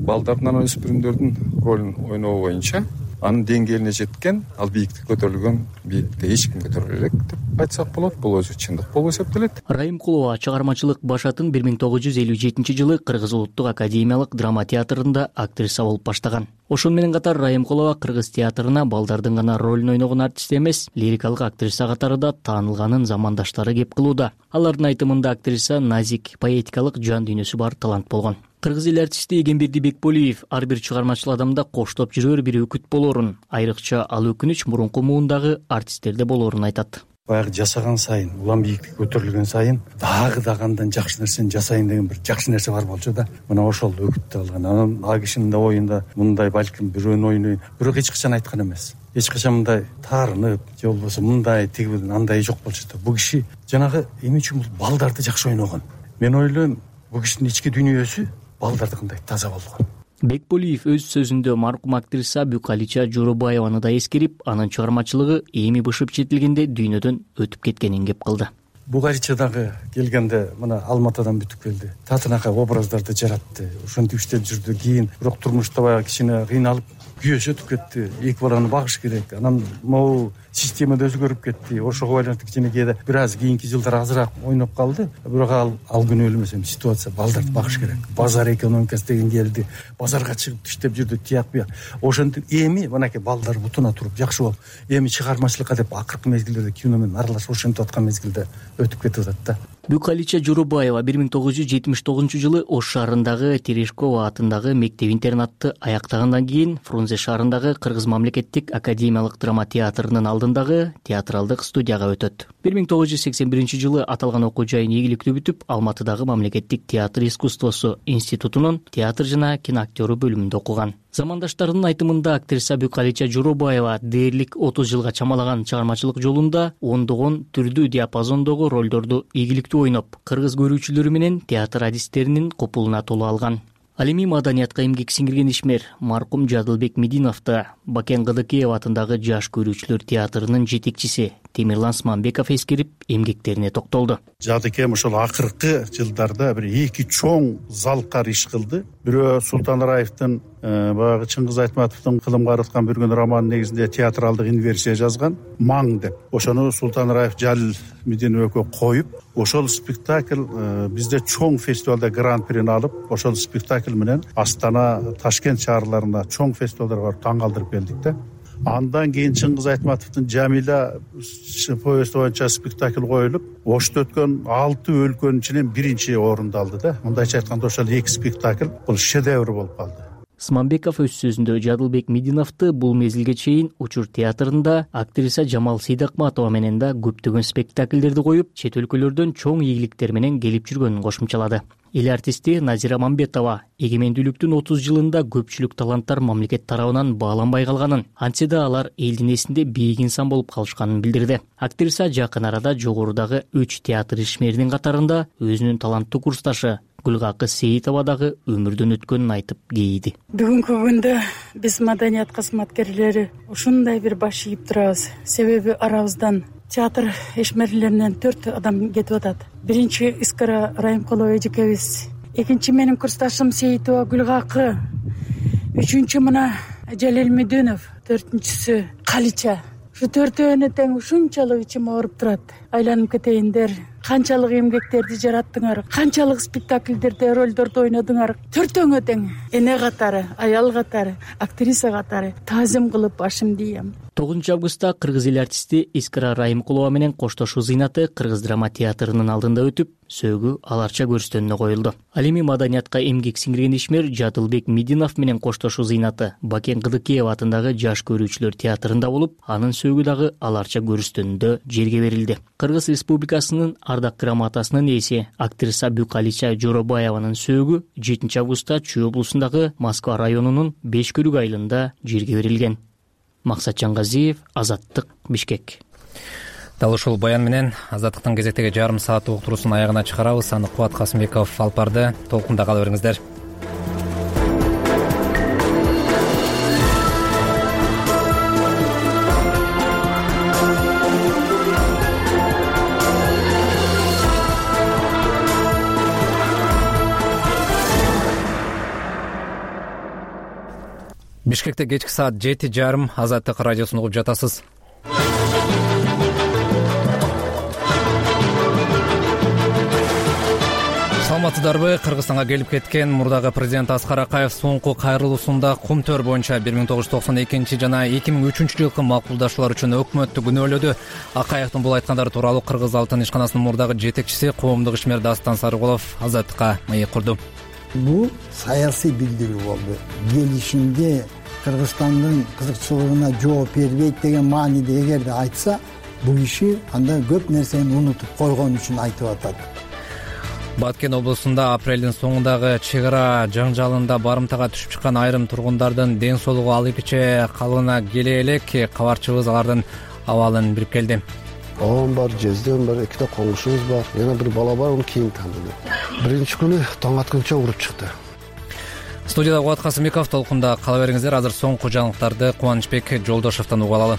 балдардын, өспүрүмдөрдүн ролун ойноо боюнча анын деңгээлине жеткен, ал бийиктикке көтөрүлгөн бийиктикке эч ким көтөрө элек деп айтсак болот. Бул өзү чындык болуп эсептелет. Райымкулова чыгармачылык башатын 1957 жылы Кыргыз улуттук академиялык драма театрында актриса болуп баштаган. Ошону менен катар Райымкулова кыргыз театрына балдардын гана ролун ойногон артист эмес, лирикалык актриса катары да таанылганын замандаштары кеп кылууда. Алардын айтымында актриса назик, поэтикалык жан дүйнөсү бар талант болгон. Кыргыз эл артисти Эгемберди Бекболиев ар бир чыгармачыл адамда коштоп жүрөр бир өкүт болоорун, айрыкча ал өкүнүч мурунку муундагы артисттерде болоорун айтат. Баягы жасаган сайын, улам бийиктикке көтөрүлгөн сайын дагы андан жакшы нерсени жасайын деген бир жакшы нерсе бар болчу да. Мына ошол өкүттү алган. Анан а кишинин да оюнда мындай балким бирөөнү ойнойм, бирок эч качан айткан эмес. Эч качан мындай таарынып, же болбосо мындай тиги андай жок болчу да. Бул киши жанагы эми үчүн бул балдарды жакшы ойногон. Мен ойлойм, бул кишинин ички дүйнөсү балдардыкындай таза болгон. Бекболиев өз сөзүндө маркум актриса Букалича Журубаеваны да эскерип, анын чыгармачылыгы эми бышып жетилгенде дүйнөдөн өтүп кеткенин кеп кылды. Букалича дагы келгенде мына Алматыдан бүтүп келди. Татынака образдарды жаратты. Ошентип иштеп жүрдү. Кийин бирок турмушта баягы кичине кыйналып, күйөөсү өтүп кетти. Эки баланы багыш керек. Анан могу система да өзгөрүп кетти. Ошого байланыштуу кичине кээде бир аз кийинки жылдары азыраак ойноп калды. Бирок ал күнү эле эмес, ситуация балдарды багыш керек. Базар экономикасы деген келди. Базарга чыгып иштеп жүрдү, тияк бияк. Ошентип эми мынакей балдар бутуна туруп жакшы болуп, эми чыгармачылыкка деп акыркы мезгилдерде кино менен аралашып ошентип аткан мезгилде өтүп кетип атат да. Букалича Журубаева 1979 жылы Ош шаарындагы Терешкова атындагы мектеп-интернатты аяктагандан кийин Фрунзе шаарындагы Кыргыз мамлекеттик академиялык драма театрынын алдындагы театралдык студияга өтөт. 1981 жылы аталган окуу жайын ийгиликтүү бүтүп, Алматыдагы мамлекеттик театр искусствосу институтунун театр жана киноактёру бөлүмүндө окуган. Замандаштарынын айтымында актриса Букалича Журубаева дээрлик 30 жылга чамалаган чыгармачылык жолунда ондогон түрдүү диапазондогу ролдорду ийгиликтүү ойноп, кыргыз көрүүчүлөрү менен театр адистеринин копулуна толо алган. Ал эми маданиятка эмгек сиңирген ишмер маркум Жадылбек Мединов да Бакен Кыдыкеев атындагы жаш көрүүчүлөр театрынын жетекчиси Темирлан Смамбеков эскерип, эмгектерине токтолду. Жадыкем ошол акыркы жылдарда бир эки чоң залкар иш кылды. Бирөө Султан Раевдин баягы Чыңгыз Айтматовдун кылымга арыткан бүргөн романын негизинде театралдык инверсия жазган Маң деп. Ошону Султан Раев Жалил Мединов экөө коюп, ошол спектакль бизде чоң фестивалда гран-прини алып, ошол спектакль менен Астана, Ташкент шаарларына чоң фестивалдарга барып таң калтырып келдик да. Андан кийин Чыңгыз Айтматовдун Жамиля повести боюнча спектакль коюлуп, Ошто өткөн 6 өлкөнүн ичинен биринчи орунду алды да. Мындайча айтканда ошол эки спектакль бул шедевр болуп калды. Смамбеков өз сөзүндө Жадылбек Мединовду бул мезгилге чейин Учур театрында актриса Жамал Сейдакматова менен да көптөгөн спектакльдерди коюп, чет өлкөлөрдөн чоң ийгиликтер менен келип жүргөнүн кошумчалады. эл артисти Назира Мамбетова эгемендүүлүктүн 30 жылында көпчүлүк таланттар мамлекет тарабынан бааланбай калганын, антсе да алар элдин эсинде бийик инсан болуп калышканын билдирди. Актриса жакын арада жогорудагы 3 театр ишмеринин катарында өзүнүн таланттуу курсташы Гүлгакы Сейитова дагы өмүрдөн өткөнүн айтып кейиди. Бүгүнкү күндө биз маданият кызматкерлери ушундай бир баш ийип турабыз. Себеби арабыздан театр ишмерлеринен 4 адам кетип атат. Биринчи Искара Райымкулова эжекебиз, экинчи менин курсташым Сейитова Гүлгакы, үчүнчү мына Жалел Медүнов, төртүнчүсү Калича. Ушу төртөөнү тең ушунчалык ичим ооруп турат. Айланып кетейиндер, канчалык эмгектерди жараттыңар, канчалык спектакльдерде ролдорду ойнодуңар. Төртөөңө тең эне катары, аял катары, актриса катары таазим кылып башымды ийем. 9 августта кыргыз эл артисти Искара Райымкулова менен коштошуу зыйнаты Кыргыз драма театрынын алдында өтүп, сөөгү аларча көрүстөнүнө коюлду. Ал эми маданиятка эмгек сиңирген ишмер Жадылбек Мидинов менен коштошуу зыйнаты Бакен Кыдыкеева атындагы Жаш көрүүчүлөр театрында болуп, анын сөөгү дагы аларча көрүстөнүндө жерге берилди. Кыргыз Республикасынын ардак грамотасынын ээси актриса Букалича Жоробаеванын сөөгү 7 августта Чүй облусундагы Москва районунун Бешкөрүк айылында жерге берилген. Максат Жангазиев, Азаттык, Бишкек. Дал ушул баян менен Азаттыктын кезектеги жарым саат уктуруусун аягына чыгарабыз. Аны Кубат Касымбеков алып барды. Толкунда кала бериңиздер. Бишкекте кечки саат 7:30 Азаттык радиосун угуп жатасыз. Саламатсыздарбы? Кыргызстанга келип кеткен мурдагы президент Аскар Акаев соңку кайрылуусунда Кумтөр боюнча 1992 жана 2003 жылкы макулдашуулар үчүн өкмөттү күнөөлөдү. Акаевдин бул айткандары тууралуу Кыргыз Алтын ишканасынын мурдагы жетекчиси коомдук ишмер Дастан Сарыкулов Азаттыкка маек курду. Бул саясий билдирүү болду. Келишимде Кыргызстандын кызыкчылыгына жооп бербейт деген мааниде эгерде айтса, бул киши анда көп нерсени унутуп койгон үчүн айтып атат. Баткен облусунда апрелдин соңундагы чек ара жаңжалында барымтага түшүп чыккан айрым тургундардын ден соолугу ал эпиче калыбына келе элек. Кабарчыбыз алардын абалын билип келди. Оон бар, жезден бар, 2 коңгушубуз бар, жана бир бала бар, кийин тааныды. Биринчи күнү таң атканча уруп чыкты. Студияда Кубат Касымбеков, толкунда кала бериңиздер. Азыр соңку жаңылыктарды Кубанычбек Жолдошовдон угуп алалы.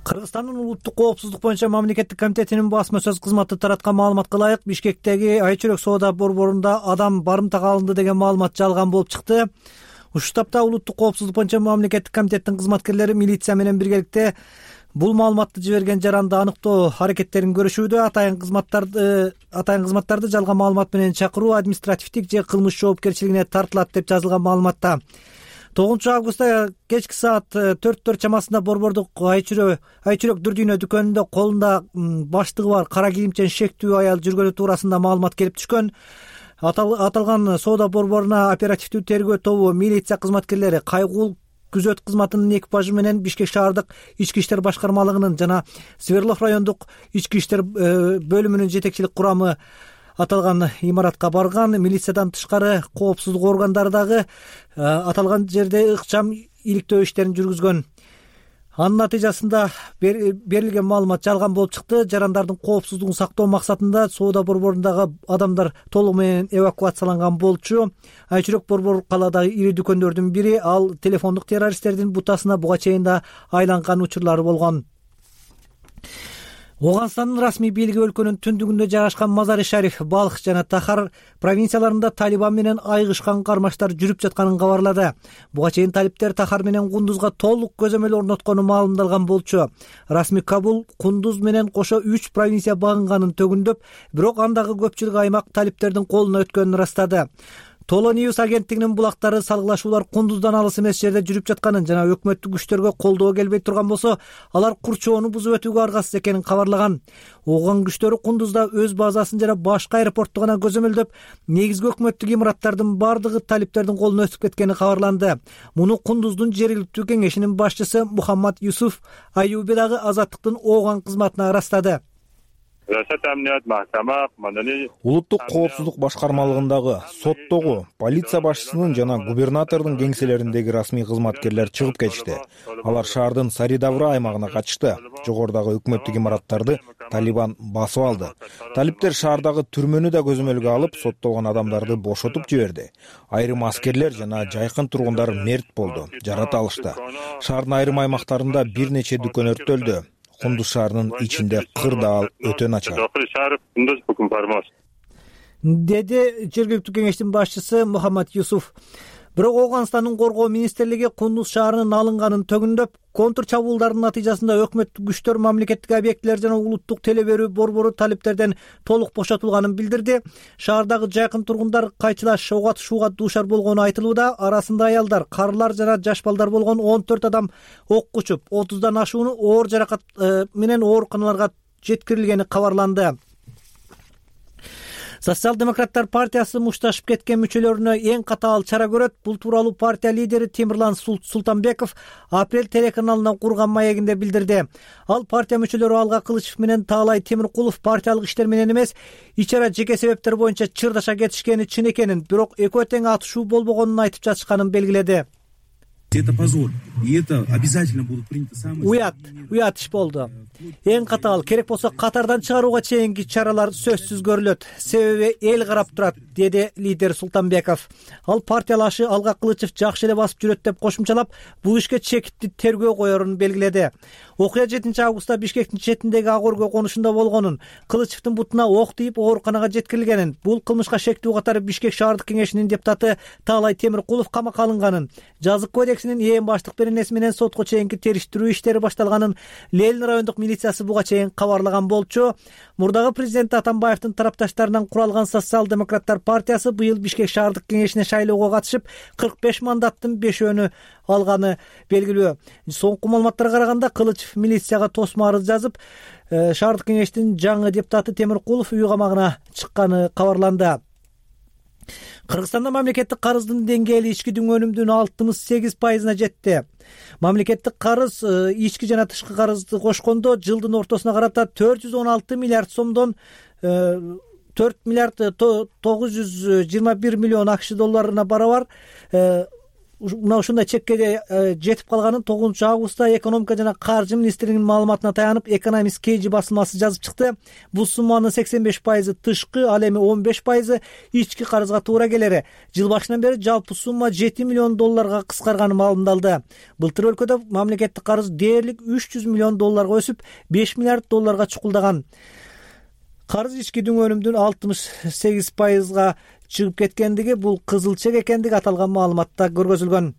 Кыргызстандын улуттук коопсуздук боюнча мамлекеттик комитетинин басма сөз кызматы тараткан маалыматка ылайык, Бишкектеги Айчүрөк соода борборунда адам барымтага алынды деген маалымат жалган болуп чыкты. Ушул тапта улуттук коопсуздук боюнча мамлекеттик комитеттин кызматкерлери милиция менен биргеликте бул маалыматты жиберген жаранды аныктоо аракеттерин көрүшүүдө. Атайын кызматтарды жалган маалымат менен чакыруу административдик же кылмыш жоопкерчилигине тартылат деп жазылган маалыматта. 9 августта кечки саат 4 чамасында борбордук Айчүрөк Дүрдүйнө дүкөнүндө колунда баштыгы бар кара кийимчен шектүү аял жүргөнү туурасында маалымат келип түшкөн. Аталган соода борборуна оперативдүү тергөө тобу милиция кызматкерлери кайгуул күзөт кызматынын экипажы менен Бишкек шаардык ички иштер башкармалыгынын жана Сверлов райондук ички иштер бөлүмүнүн жетекчилик курамы аталган имаратка барган. Милициядан тышкары коопсуздук органдары дагы аталган жерде ыкчам иликтөө иштерин жүргүзгөн. Анын натыйжасында берилген маалымат жалган болуп чыкты. Жарандардын коопсуздугун сактоо максатында соода борборундагы адамдар толугу менен эвакуацияланган болчу. Айчүрөк борбор калаадагы ири дүкөндөрдүн бири. Ал телефондук террористтердин бутасына буга чейин да айланган учурлары болгон. Оганстандын расмий бийлиги өлкөнүн түндүгүндө жайгашкан Мазари-Шариф, Балх жана Тахар провинцияларында Талибан менен айыгышкан кармаштар жүрүп жатканын кабарлады. Буга чейин талиптер Тахар менен Кундузга толук көзөмөл орноткону маалымдалган болчу. Расмий Кабул Кундуз менен кошо 3 провинция багынганын төгүндөп, бирок андагы көпчүлүк аймак талиптердин колуна өткөнүн ырастады. Толо Ньюс агенттигинин булактары салгылашуулар Кундуздан алыс эмес жерде жүрүп жатканын жана өкмөттүк күчтөргө колдоо келбей турган болсо, алар курчоону бузуп өтүүгө аргасыз экенин кабарлаган. Ооган күчтөрү Кундузда өз базасын жана башка аэропортту гана көзөмөлдөп, негизги өкмөттүк имараттардын бардыгы талиптердин колуна өтүп кеткени кабарланды. Муну Кундуздун жергиликтүү кеңешинин башчысы Мухаммад Юсуф Аюби дагы Азаттыктын Ооган кызматына ырастады. улуттук коопсуздук башкармалыгындагы, соттогу, полиция башчысынын жана губернатордун кеңселериндеги расмий кызматкерлер чыгып кетишти. Алар шаардын Саридавра аймагына качышты. Жогорудагы өкмөттүк имараттарды Талибан басып алды. Талиптер шаардагы түрмөнү да көзөмөлгө алып, соттолгон адамдарды бошотуп жиберди. Айрым аскерлер жана жайкын тургундар мерт болду, жарата алышты. Шаардын айрым аймактарында бир нече дүкөн өрттөлдү. Кундуз шаарынын ичинде кырдаал өтө начар, деди жергиликтүү кеңештин башчысы Мухаммад Юсуф. Бирок Ооганстандын коргоо министрлиги Кундуз шаарынын алынганын төгүндөп, контр чабуулдардын натыйжасында өкмөттүк күчтөр мамлекеттик объектилер жана улуттук теле берүү борбору талиптерден толук бошотулганын билдирди. Шаардагы жайкын тургундар кайчылаш ок атышууга дуушар болгону айтылууда. Арасында аялдар, карылар жана жаш балдар болгон 14 адам окко учуп, 30дан ашууну оор жаракат менен ооруканаларга жеткирилгени кабарланды. Социал-демократтар партиясы мушташып кеткен мүчөлөрүнө эң катаал чара көрөт. Бул тууралуу партия лидери Темирлан Султанбеков Апрель телеканалына курган маегинде билдирди. Ал партия мүчөлөрү Алга Кылычев менен Таалай Темиркулов партиялык иштер менен эмес, ичара жеке себептер боюнча чырдаша кетишкени чын экенин, бирок экөө тең атышуу болбогонун айтып жатышканын белгиледи. Это позор, и это обязательно будут приняты самые... Уят иш болду. Эң катаал, керек болсо катардан чыгарууга чейинки чаралар сөзсүз көрүлөт. Себеби эл карап турат, деди лидер Султанбеков. Ал партиялашы Алга Кылычев жакшы эле басып жүрөт деп кошумчалап, бул ишке чекитти тергөө коерун белгиледи. Окуя 7-августта Бишкектин четиндеги ак өргө конушунда болгонун, Кылычевдин бутуна ок тийип ооруканага жеткирилгенин, бул кылмышка шектүү катары Бишкек шаардык кеңешинин депутаты Таалай Темиркулов камакка алынганын, жазык кодексинин ээн баштык беренеси менен сотко чейинки териштирүү иштери башталганын Ленин райондук милициясы буга чейин кабарлаган болчу. Мурдагы президент Атамбаевдин тарапташтарынан куралган Социал-демократтар партиясы быйыл Бишкек шаардык кеңешине шайлоого катышып 45 мандаттын 5-өөнү алганы белгилүү. Соңку маалыматтарга караганда Кылычев милицияга тосмо арыз жазып, шаардык кеңештин жаңы депутаты Темиркулов үй камагына чыкканы кабарланды. Кыргызстанда мамлекеттик карыздын деңгээли ички дүңөнүмдүн 68%-на жетти. Мамлекеттик карыз ички жана тышкы карызды кошкондо жылдын ортосуна карата 416 миллиард сомдон 4 миллиард 921 миллион АКШ долларына барабар. Мына ушундай чекке жетип калганын 9-августта экономика жана каржы министрлигинин маалыматына таянып Economist KG басылмасы жазып чыкты. Бул сумманын 85% тышкы, ал эми 15% ички карызга туура келери. Жыл башынан бери жалпы сумма 7 миллион долларга кыскарганы маалымдалды. Былтыр өлкөдө мамлекеттик карыз дээрлик 300 миллион долларга өсүп, 5 миллиард долларга чукулдаган. Карыз ички дүңөнүмдүн 68%-га чыгып кеткендиги, бул кызыл чек экендиги аталган маалыматта көргөзүлгөн.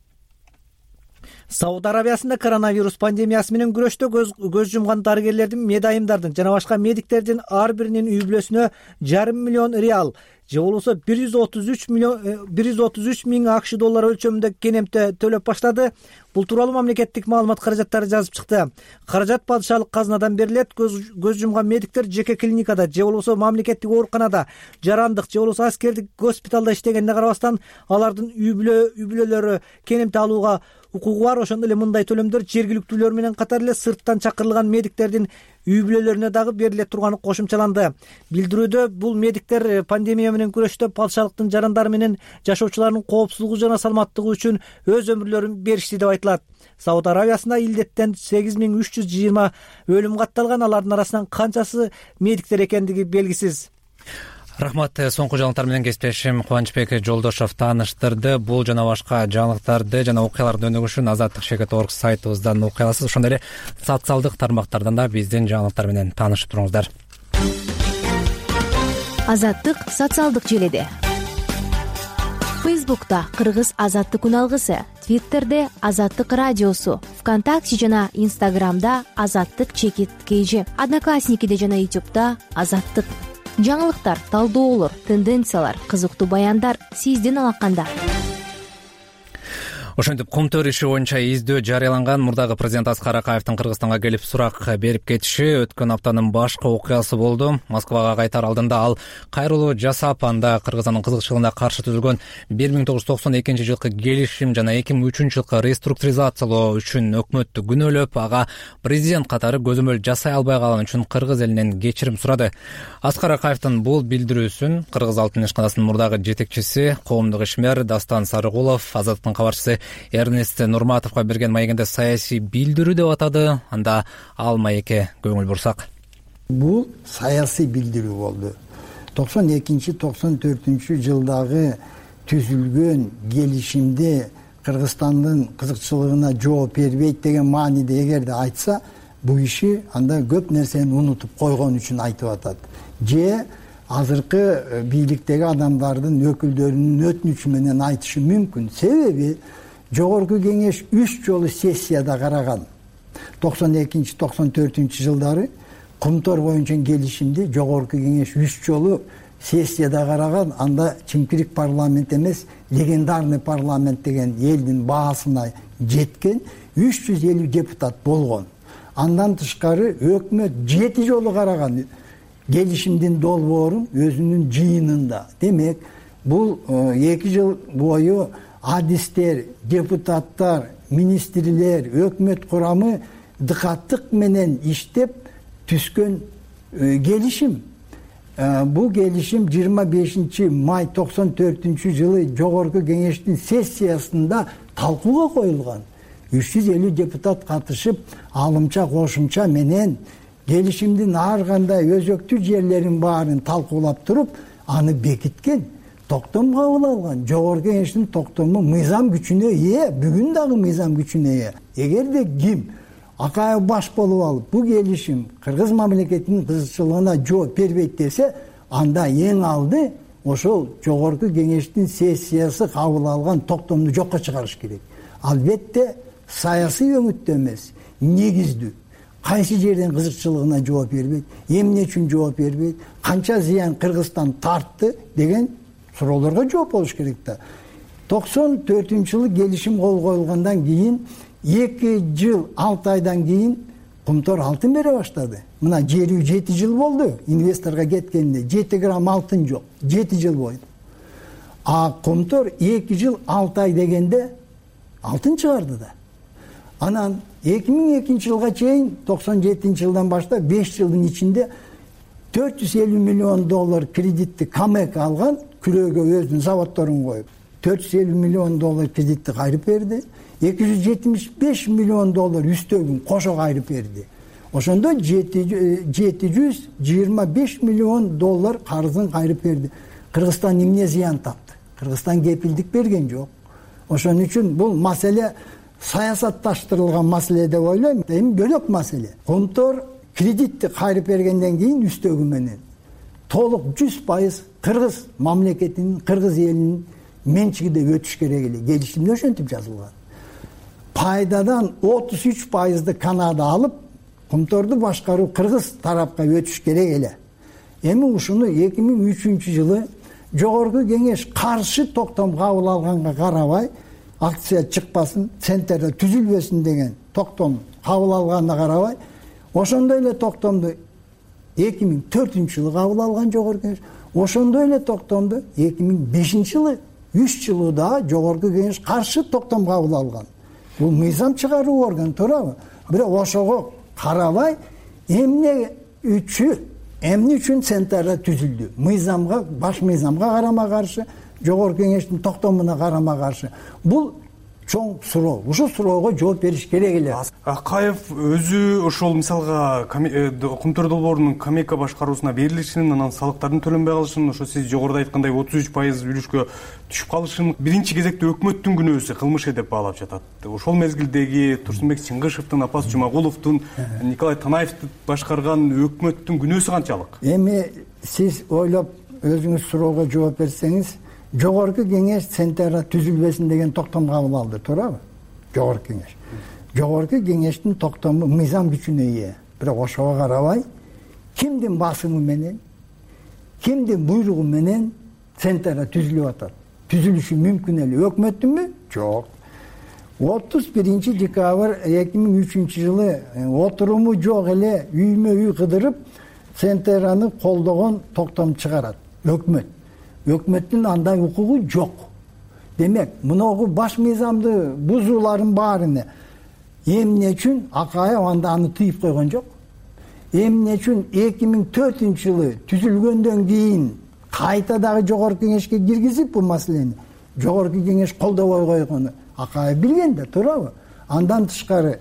Сауд Арабиясында коронавирус пандемиясы менен күрөштө көз жумган дарыгерлердин, медайымдардын жана башка медиктердин ар биринин үй бүлөсүнө 5,5 миллион реал же болбосо 133 миң АКШ доллары өлчөмүндө кенемте төлөп баштады. Бул тууралуу мамлекеттик маалымат каражаттары жазып чыкты. Каражат падышалык казынадан берилет. Көз жумган медиктер жеке клиникада же болбосо мамлекеттик ооруканада, жарандык же болбосо аскердик госпиталда иштегенине карабастан, алардын үй бүлөлөрү кенемте алууга укугу бар. Ошондой эле мындай төлөмдөр жергиликтүүлөр менен катар эле сырттан чакырылган медиктердин үй бүлөлөрүнө дагы бериле турганы кошумчаланды. Билдирүүдө бул медиктер пандемия менен күрөштө падышалыктын жарандары менен жашоочулардын коопсуздугу жана саламаттыгы үчүн өз өмүрлөрүн беришти деп айтылат. Сауд Арабиясында илдеттен 8320 өлүм катталган, алардын арасынан канчасы медиктер экендиги белгисиз. Рахмат. Соңку жаңылыктар менен кесиптешим Кубанычбек Жолдошов тааныштырды. Бул жана башка жаңылыктарды жана окуяларды өнүгүшүн azattik.org сайтыбыздан окуй аласыз. Ошондой эле социалдык тармактардан да биздин жаңылыктар менен таанышып туруңуздар. Азаттык социалдык желиде. Фейсбукта Кыргыз азаттык күн алгысы, Твиттерде Азаттык радиосу, ВКонтакте жана Инстаграмда Азаттык_KG, Одноклассникиде жана Ютубта Азаттык. Жаңылыктар, талдоолор, тенденциялар, кызыктуу баяндар сиздин алаканда. Ошентип Кумтөр иши боюнча издөө жарыяланган. Мурдагы президент Аскар Акаевдин Кыргызстанга келип сурак берип кетиши өткөн аптанын башкы окуясы болду. Москвага кайтар алдында ал кайрылуу жасап, анда Кыргызстандын кызыкчылыгына каршы түзүлгөн 1992 жылкы келишим жана 2003 жылкы реструктуризациялоо үчүн өкмөттү күнөөлөп, ага президент катары көзөмөл жасай албай калган үчүн кыргыз элинен кечирим сурады. Аскар Акаевдин бул билдирүүсүн Кыргыз Алтын ишканасынын мурдагы жетекчиси, коомдук ишмер Дастан Сарыгулов Азаттыктын кабарчысы Эрнест Нурматовго берген маегинде саясий билдирүү деп атады. Анда ал маекке көңүл бурсак. Бул саясий билдирүү болду. 92-94 жылдагы түзүлгөн келишимде Кыргызстандын кызыкчылыгына жооп бербейт деген мааниде эгерде айтса, бул иши анда көп нерсени унутуп койгон үчүн айтып атат. Же азыркы бийликтеги адамдардын өкүлдөрүнүн өтүнүчү менен айтышы мүмкүн. Себеби Жогорку кеңеш 3 жолу сессияда караган. 92-94 жылдары Кумтор боюнча келишимди Жогорку кеңеш 3 жолу сессияда караган. Анда чимкирик парламент эмес, легендарный парламент деген элдин баасына жеткен 350 депутат болгон. Андан тышкары өкмөт 7 жолу караган келишимдин долбоорун өзүнүн жыйынында. Демек, бул 2 жыл бою адистер, депутаттар, министрлер, өкмөт курамы дыкаттык менен иштеп түзгөн келишим. Бул келишим 25 май 94 жылы Жогорку кеңештин сессиясында талкууга коюлган. 350 депутат катышып, алымча кошумча менен келишимдин ар кандай өзөктүү жерлерин баарын талкуулап туруп, аны бекиткен. Токтом кабыл алган. Жогорку кеңештин токтому мыйзам күчүнө ээ, бүгүн дагы мыйзам күчүнө ээ. Эгерде ким Акаев баш болуп алып, бул келишим кыргыз мамлекетинин кызыкчылыгына жооп бербейт десе, анда эң алды ошол Жогорку кеңештин сессиясы кабыл алган токтомду жокко чыгарыш керек. Албетте саясий өңүттө эмес, негиздүү. Кайсы жерден кызыкчылыгына жооп бербейт, эмне үчүн жооп бербейт, канча зыян Кыргызстан тартты деген суроолорго жооп болуш керек да. 94-жылы келишим кол коюлгандан кийин 2 жыл 6 айдан кийин Кумтор алтын бере баштады. Мына жери 7 жыл болду инвесторго кеткенде, 7 грамм алтын жок, 7 жыл бойду. А Кумтор 2 жыл 6 ай дегенде алтын чыгарды да. Анан 2002 жылга чейин 97 жылдан баштап 5 жылдын ичинде 450 миллион доллар кредитти Камек алган, күрөөгө өзүнүн заводдорун коюп 450 миллион доллар кредитти кайрып берди. 275 миллион доллар үстөгүн кошо кайрып берди. Ошондо 725 миллион доллар карызын кайрып берди. Кыргызстан эмне зыян тапты? Кыргызстан кепилдик берген жок. Ошон үчүн бул маселе саясатташтырылган маселе деп ойлойм. Эми бөлөк маселе. Кумтор кредитти кайрып бергенден кийин үстөгү менен толук 100% кыргыз мамлекетинин, кыргыз элинин менчигиде өтүш керек эле. Келишимде ошентип жазылган. Пайдадан 33%ды Канада алып, Кумторду башкаруу кыргыз тарапка өтүш керек эле. Эми ушуну 2003 жылы Жогорку кеңеш каршы токтом кабыл алганга карабай, акция чыкпасын, центрде түзүлбөсүн деген токтом кабыл алганына карабай, ошондой эле токтомду 2004 жылы кабыл алган Жогорку кеңеш. Ошондой эле токтомду 2005 жылы 3 жылда Жогорку кеңеш каршы токтом кабыл алган. Бул мыйзам чыгаруу орган, туурабы? Бирок ошого карабай, эмне үчүн центрда түзүлдү? Мыйзамга, баш мыйзамга карама каршы, Жогорку кеңештин токтомуна карама каршы. Бул чоң суроо. Ушул суроого жооп бериш керек эле. Акаев өзү ошол мисалга Кумтор долбоорунун Камека башкаруусуна берилишин, анан салыктардын төлөнбөй калышын, ошо сиз жогоруда айткандай 33% үлүшкө түшүп калышын биринчи кезекте өкмөттүн күнөөсү, кылмышы деп баалап жатат. Ошол мезгилдеги Турсунбек Чыңгышевдин, Апас Жумагуловдун, Николай Танаевдин башкарган өкмөттүн күнөөсү канчалык? Эми сиз ойлоп өзүңүз суроого жооп берсеңиз, Жогорку кеңеш центрда түзүлбөсүн деген токтом кабыл алды, туурабы? Жогорку кеңеш. Жогорку кеңештин токтому мыйзам күчүнө ээ. Бирок ошого карабай, кимдин басымы менен, кимдин буйругу менен центрда түзүлүп атат? Түзүлүшү мүмкүн эле. Өкмөттүнбү? Жок. 31 декабрь 2003 жылы отуруму жок эле үймө үй кыдырып Центраны колдогон токтом чыгарат өкмөттүн андай укугу жок. Демек мыногу баш мыйзамды бузуулардын баарыны эмне үчүн Акаев анда аны тыйып койгон жок? Эмне үчүн 2004 жылы түзүлгөндөн кийин кайта дагы жогорку кеңешке киргизип бул маселени жогорку кеңеш колдобой койгону Акаев билген да, туурабы? Андан тышкары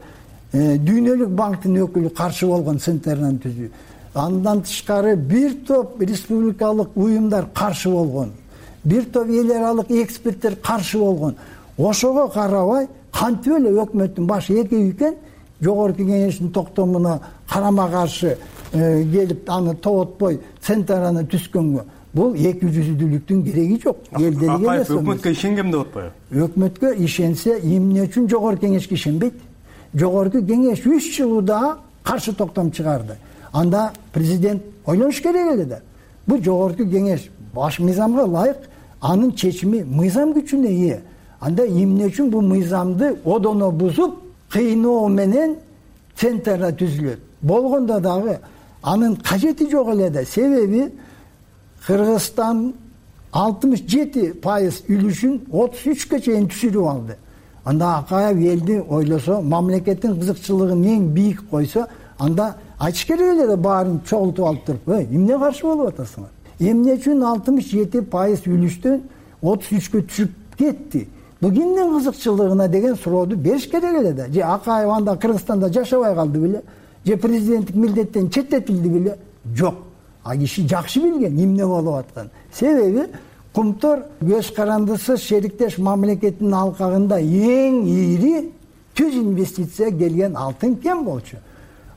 Дүйнөлүк банктын өкүлү каршы болгон Центраны түзүү. Андан тышкары бир топ республикалык уюмдар каршы болгон. Бир топ эл аралык эксперттер каршы болгон. Ошого карабай кантип эле өкмөттүн башы экөө экен жогорку кеңештин токтомуна карама каршы келип аны тоотпой Центраны түзгөнгө. Бул эки жүздүүлүктүн кереги жок. Эл делеге эмес. Өкмөткө ишенгем деп атпайбы? Өкмөткө ишенсе, эмне үчүн жогорку кеңешке ишенбейт? Жогорку кеңеш 3 жылда каршы токтом чыгарды. Анда президент ойлош керек эле да. Бул жогорку кеңеш баш мыйзамга ылайык анын чечими мыйзам күчүнө ээ. Анда эмне үчүн бул мыйзамды одоно бузуп, кыйноо менен Центрда түзүлөт? Болгондо дагы анын кажети жок эле да. Себеби Кыргызстан 67% үлүшүн 33-кө чейин түшүрүп алды. Анда Акаев элди ойлосо, мамлекеттин кызыкчылыгын эң бийик койсо, анда айтыш керек эле да баарын чогултуп алып туруп, эмне каршы болуп атасыңар? Эмне үчүн 67% үлүштөн 33-кө түшүп кетти? Бул кимдин кызыкчылыгына деген сурооду бериш керек эле да. Же Акаев анда Кыргызстанда жашабай калды беле? Же президенттик милдеттен четтетилди беле? Жок. А киши жакшы билген эмне болуп аткан. Себеби Кумтор көз карандысыз шериктеш мамлекеттин алкагында эң ийри түз инвестиция келген алтын кен болчу.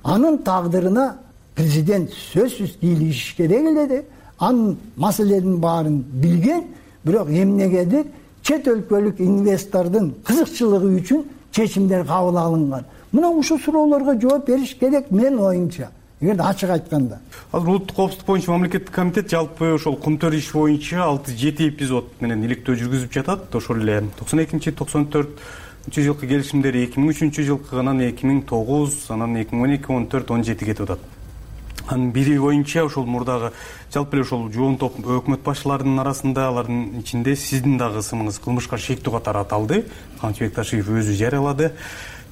Анын тагдырына президент сөзсүз кийлигиш керек эле де. Анын маселенин баарын билген, бирок эмнегедир чет өлкөлүк инвестордун кызыкчылыгы үчүн чечимдер кабыл алынган. Мына ушул суроолорго жооп бериш керек менин оюмча. Эгерде ачык айтканда. Азыр улуттук коопсуздук боюнча мамлекеттик комитет жалпы ошол Кумтөр иш боюнча 6-7 эпизод менен иликтөө жүргүзүп жатат. Ошол эле 92-94 жылкы келишимдер 2003 жылкы, анан 2009, анан 2012-14-17 кетип атат. Анын бири боюнча ошол мурдагы жалпы эле ошол жоон топ өкмөт башчыларынын арасында, алардын ичинде сиздин дагы ысымыңыз кылмышка шектүү катары аталды. Канчыбек Ташиев өзү жарыялады.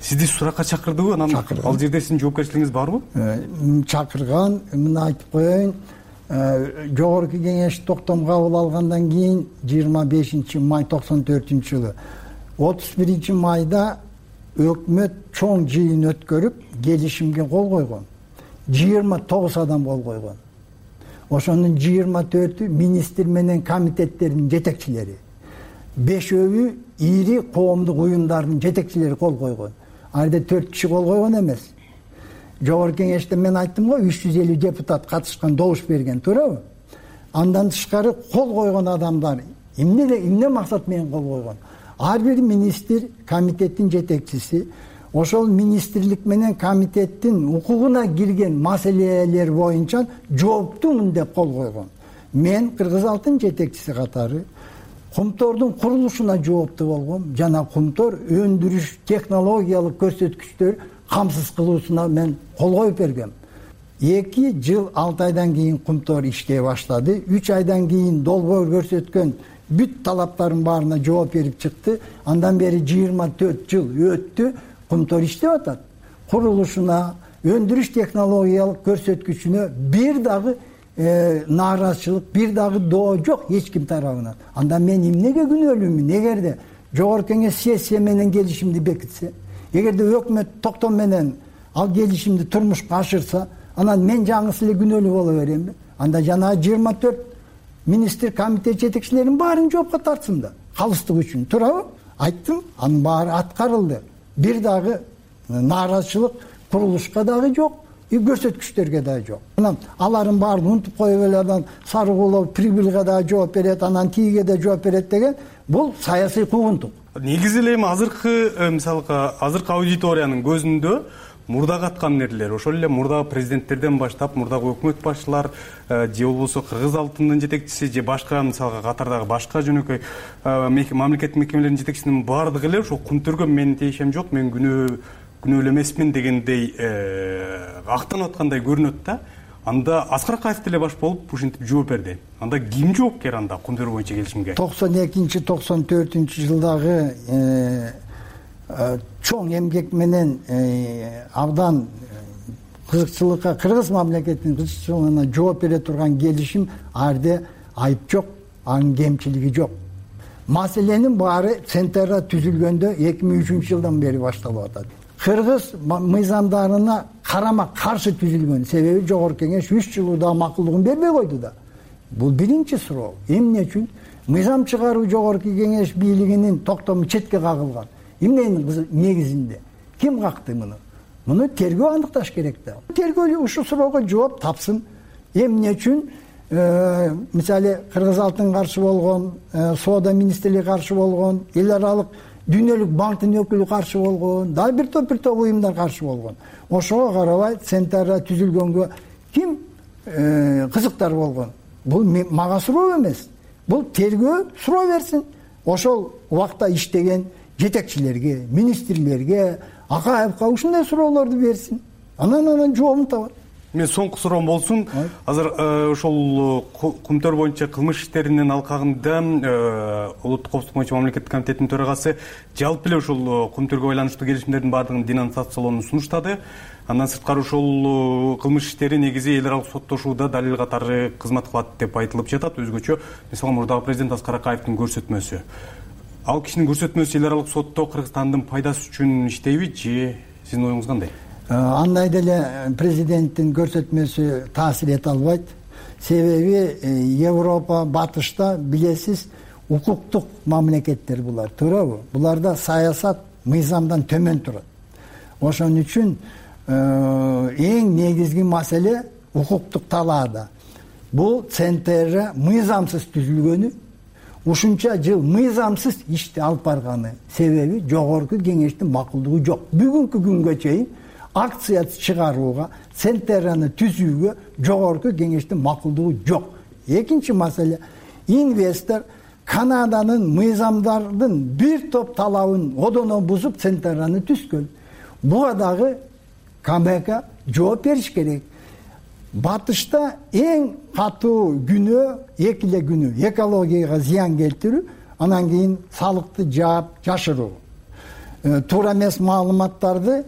Сизди суракка чакырдыбы? Анан ал жерде сиздин жоопкерчилигиңиз барбы? Чакырган, мына айтып коеюн. Жогорку кеңеш токтом кабыл алгандан кийин 25 май 94 жылы 31 майда өкмөт чоң жыйын өткөрүп келишимге кол койгон. 29 адам кол койгон. Ошонун 24-ü министр менен комитеттердин жетекчилери. 5-өө ийри коомдук уюмдардын жетекчилери кол койгон. Айда 4 киши кол койгон эмес. Жогорку кеңеште мен айттым го 350 депутат катышкан, добуш берген, туурабы? Андан тышкары кол койгон адамдар эмне максат менен кол койгон? Ар бир министр, комитеттин жетекчиси ошол министрлик менен комитеттин укугуна кирген маселелер боюнча жооптумун деп кол койгон. Мен Кыргыз алтын жетекчиси катары Кумтордун курулушуна жооптуу болгом жана Кумтор өндүрүш технологиялык көрсөткүчтөр камсыз кылуусуна мен кол коюп бергем. 2 жыл 6 айдан кийин Кумтор иштей баштады. 3 айдан кийин долбоор көрсөткөн бүт талаптардын баарына жооп берип чыкты. Андан бери 24 жыл өттү. Кумтор иштеп атат. Курулушуна, өндүрүш технологиялык көрсөткүчүнө бир дагы нааразычылык, бир дагы доо жок эч ким тарабынан. Анда мен эмнеге күнөөлүүмүн? Эгерде жогорку кеңеш сессия менен келишимди бекитсе, эгерде өкмөт токтом менен ал келишимди турмушка ашырса, анан мен жаңысы эле күнөөлүү боло беремби? Анда жана 24 министр, комитет жетекчилеринин баарын жоопко тартсын да, калыстык үчүн, туурабы? Айттым, анын баары аткарылды. Бир дагы нааразычылык курулушка дагы жок, көрсөткүчтөргө дагы жок. Анан алардын баарын унутуп коюп эле анан Сарыгулов прибылга дагы жооп берет, анан тиге да жооп берет деген бул саясий куугунтук. Негизи эле эми азыркы мисалга азыркы аудиториянын көзүндө мурдагы аткаминерлер, ошол эле мурдагы президенттерден баштап мурдагы өкмөт башчылар же болбосо Кыргыз алтынынын жетекчиси же башка мисалга катардагы башка жөнөкөй мамлекеттик мекемелердин жетекчисинин баардыгы эле ошол Кумтөргө менин тиешем жок, мен күнөөлүү эмесмин дегендей актанып аткандай көрүнөт да. Анда Аскар Акаев деле баш болуп ушинтип жооп берди. Анда ким жоопкер анда Кумтөр боюнча келишимге? 92-94 жылдагы чоң эмгек менен абдан кызыкчылыкка, кыргыз мамлекетинин кызыкчылыгына жооп бере турган келишим, арде айып жок, анын кемчилиги жок. Маселенин баары Центрда түзүлгөндө 2003 жылдан бери башталып атат. Кыргыз мыйзамдарына карама каршы түзүлгөн, себеби Жогорку Кеңеш 3 жыл да макулдугун бербей койду да. Бул биринчи суроо. Эмне үчүн мыйзам чыгаруу Жогорку Кеңеш бийлигинин токтому четке кагылган? Эмненин негизинде? Ким какты муну? Муну тергөө аныкташ керек да. Тергөө ушул суроого жооп тапсын. Эмне үчүн мисалы Кыргыз алтын каршы болгон, соода министрлиги каршы болгон, эл аралык Дүйнөлүк банктын өкүлү каршы болгон, дагы бир топ уюмдар каршы болгон. Ошого карабай Центрда түзүлгөнгө ким кызыктар болгон? Бул мага суроо эмес. Бул тергөө суроо берсин. Ошол убакта иштеген жетекчилерге, министрлерге, Акаевка ушундай суроолорду берсин. Анан жообун табат. Мен соңку суроом болсун. Азыр ошол Кумтөр боюнча кылмыш иштеринин алкагында улуттук коопсуздук боюнча мамлекеттик комитеттин төрагасы жалпы эле ошол Кумтөргө байланыштуу келишимдердин баардыгын денонсациялоону сунуштады. Андан сырткары ошол кылмыш иштери негизи эл аралык соттошууда далил катары кызмат кылат деп айтылып жатат. Өзгөчө мисалы мурдагы президент Аскар Акаевдин көрсөтмөсү. Ал кишинин көрсөтмөсү эл аралык сотто Кыргызстандын пайдасы үчүн иштейби же сиздин оюңуз кандай? Андай деле президенттин көрсөтмөсү таасир эте албайт. Себеби Европа, батышта билесиз укуктук мамлекеттер булар, туурабы? Буларда саясат мыйзамдан төмөн турат. Ошон үчүн эң негизги маселе укуктук талаада. Бул Центр мыйзамсыз түзүлгөнү, ушунча жыл мыйзамсыз ишти алып барганы себеби Жогорку Кеңештин макулдугу жок. Бүгүнкү күнгө чейин акция чыгарууга, Центраны түзүүгө Жогорку Кеңештин макулдугу жок. Экинчи маселе, инвестор Канаданын мыйзамдардын бир топ талабын одоно бузуп Центраны түзгөн. Буга дагы КМК жооп бериш керек. Батышта эң катуу күнөө экиле күнөө, экологияга зыян келтирүү, анан кийин салыкты жаап жашыруу. Туура эмес маалыматтарды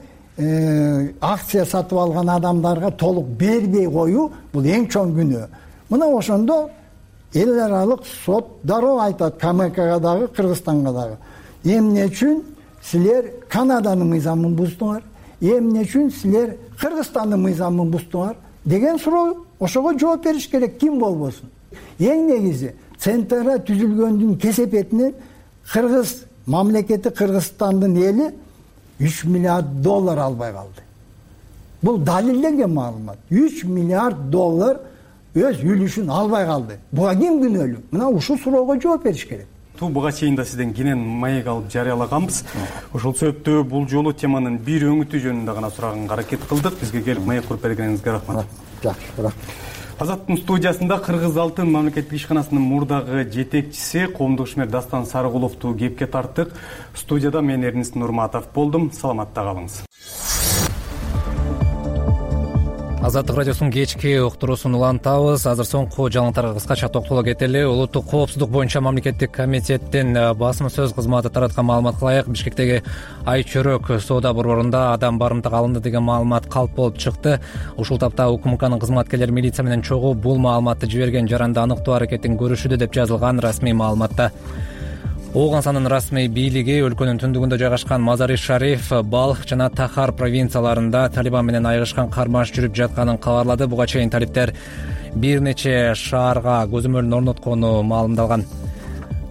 акция сатып алган адамдарга толук бербей коюу бул эң чоң күнөө. Мына ошондо эл аралык сот дароо айтат КМКга дагы, Кыргызстанга дагы. Эмне үчүн силер Канаданын мыйзамын буздуңар? Эмне үчүн силер Кыргызстандын мыйзамын буздуңар? Деген суроо, ошого жооп бериш керек, ким болбосун. Эң негизи Центрда түзүлгөндүн кесепетинен Кыргыз мамлекети, Кыргызстандын эли $3 миллиард албай калды. Бул далилденген маалымат. $3 миллиард өз үлүшүн албай калды. Буга ким күнөөлүү? Мына ушул суроого жооп бериш керек. Буга чейин да сизден кенен маек алып жарыялаганбыз. Ошол себептүү бул жолу теманын бир өңүтү жөнүндө гана сураганга аракет кылдык. Бизге келип маек куруп бергениңизге рахмат. Жакшы, рахмат. Азаттын студиясында Кыргыз алтын мамлекеттик ишканасынын мурдагы жетекчиси коомдук ишмер Дастан Сарыгуловду кепке тарттык. Студияда мен Эрнест Нурматов болдум. Саламатта калыңыз. Азаттык радиосунун кечки уктуруусун улантабыз. Азыр соңку жаңылыктарга кыскача токтоло кетели. Улуттук коопсуздук боюнча мамлекеттик комитеттин басма сөз кызматы тараткан маалыматка ылайык Бишкектеги Айчөрөк соода борборунда адам барымтага алынды деген маалымат калп болуп чыкты. Ушул тапта УКМКнын кызматкерлери милиция менен чогуу бул маалыматты жиберген жаранды аныктоо аракетин көрүшүүдө деп жазылган расмий маалыматта. Оогансанын расмий бийлиги өлкөнүн түндүгүндө жайгашкан Мазари-Шариф, Балх жана Тахар провинцияларында Талибан менен айыгышкан кармаш жүрүп жатканын кабарлады. Буга чейин талиптер бир нече шаарга көзөмөлүн орноткону маалымдалган.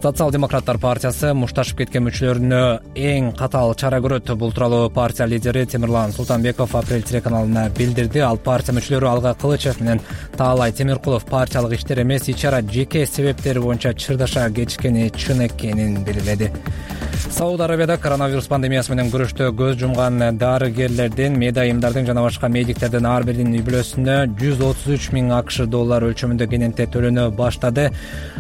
Социал-демократтар партиясы мушташып кеткен мүчөлөрүнө эң катаал чара көрөт. Бул тууралуу партия лидери Темирлан Султанбеков Апрель телеканалына билдирди. Ал партия мүчөлөрү Алга Кылычев менен Таалай Темиркулов партиялык иштер эмес, ичара жеке себептери боюнча чырдаша кетишкени чын экенин белгиледи. Сауд Арабияда коронавирус пандемиясы менен күрөштө көз жумган дарыгерлердин, медайымдардын жана башка медиктердин ар биринин үй бүлөсүнө 133 000 АКШ доллар өлчөмүндө кененте төлөнө баштады.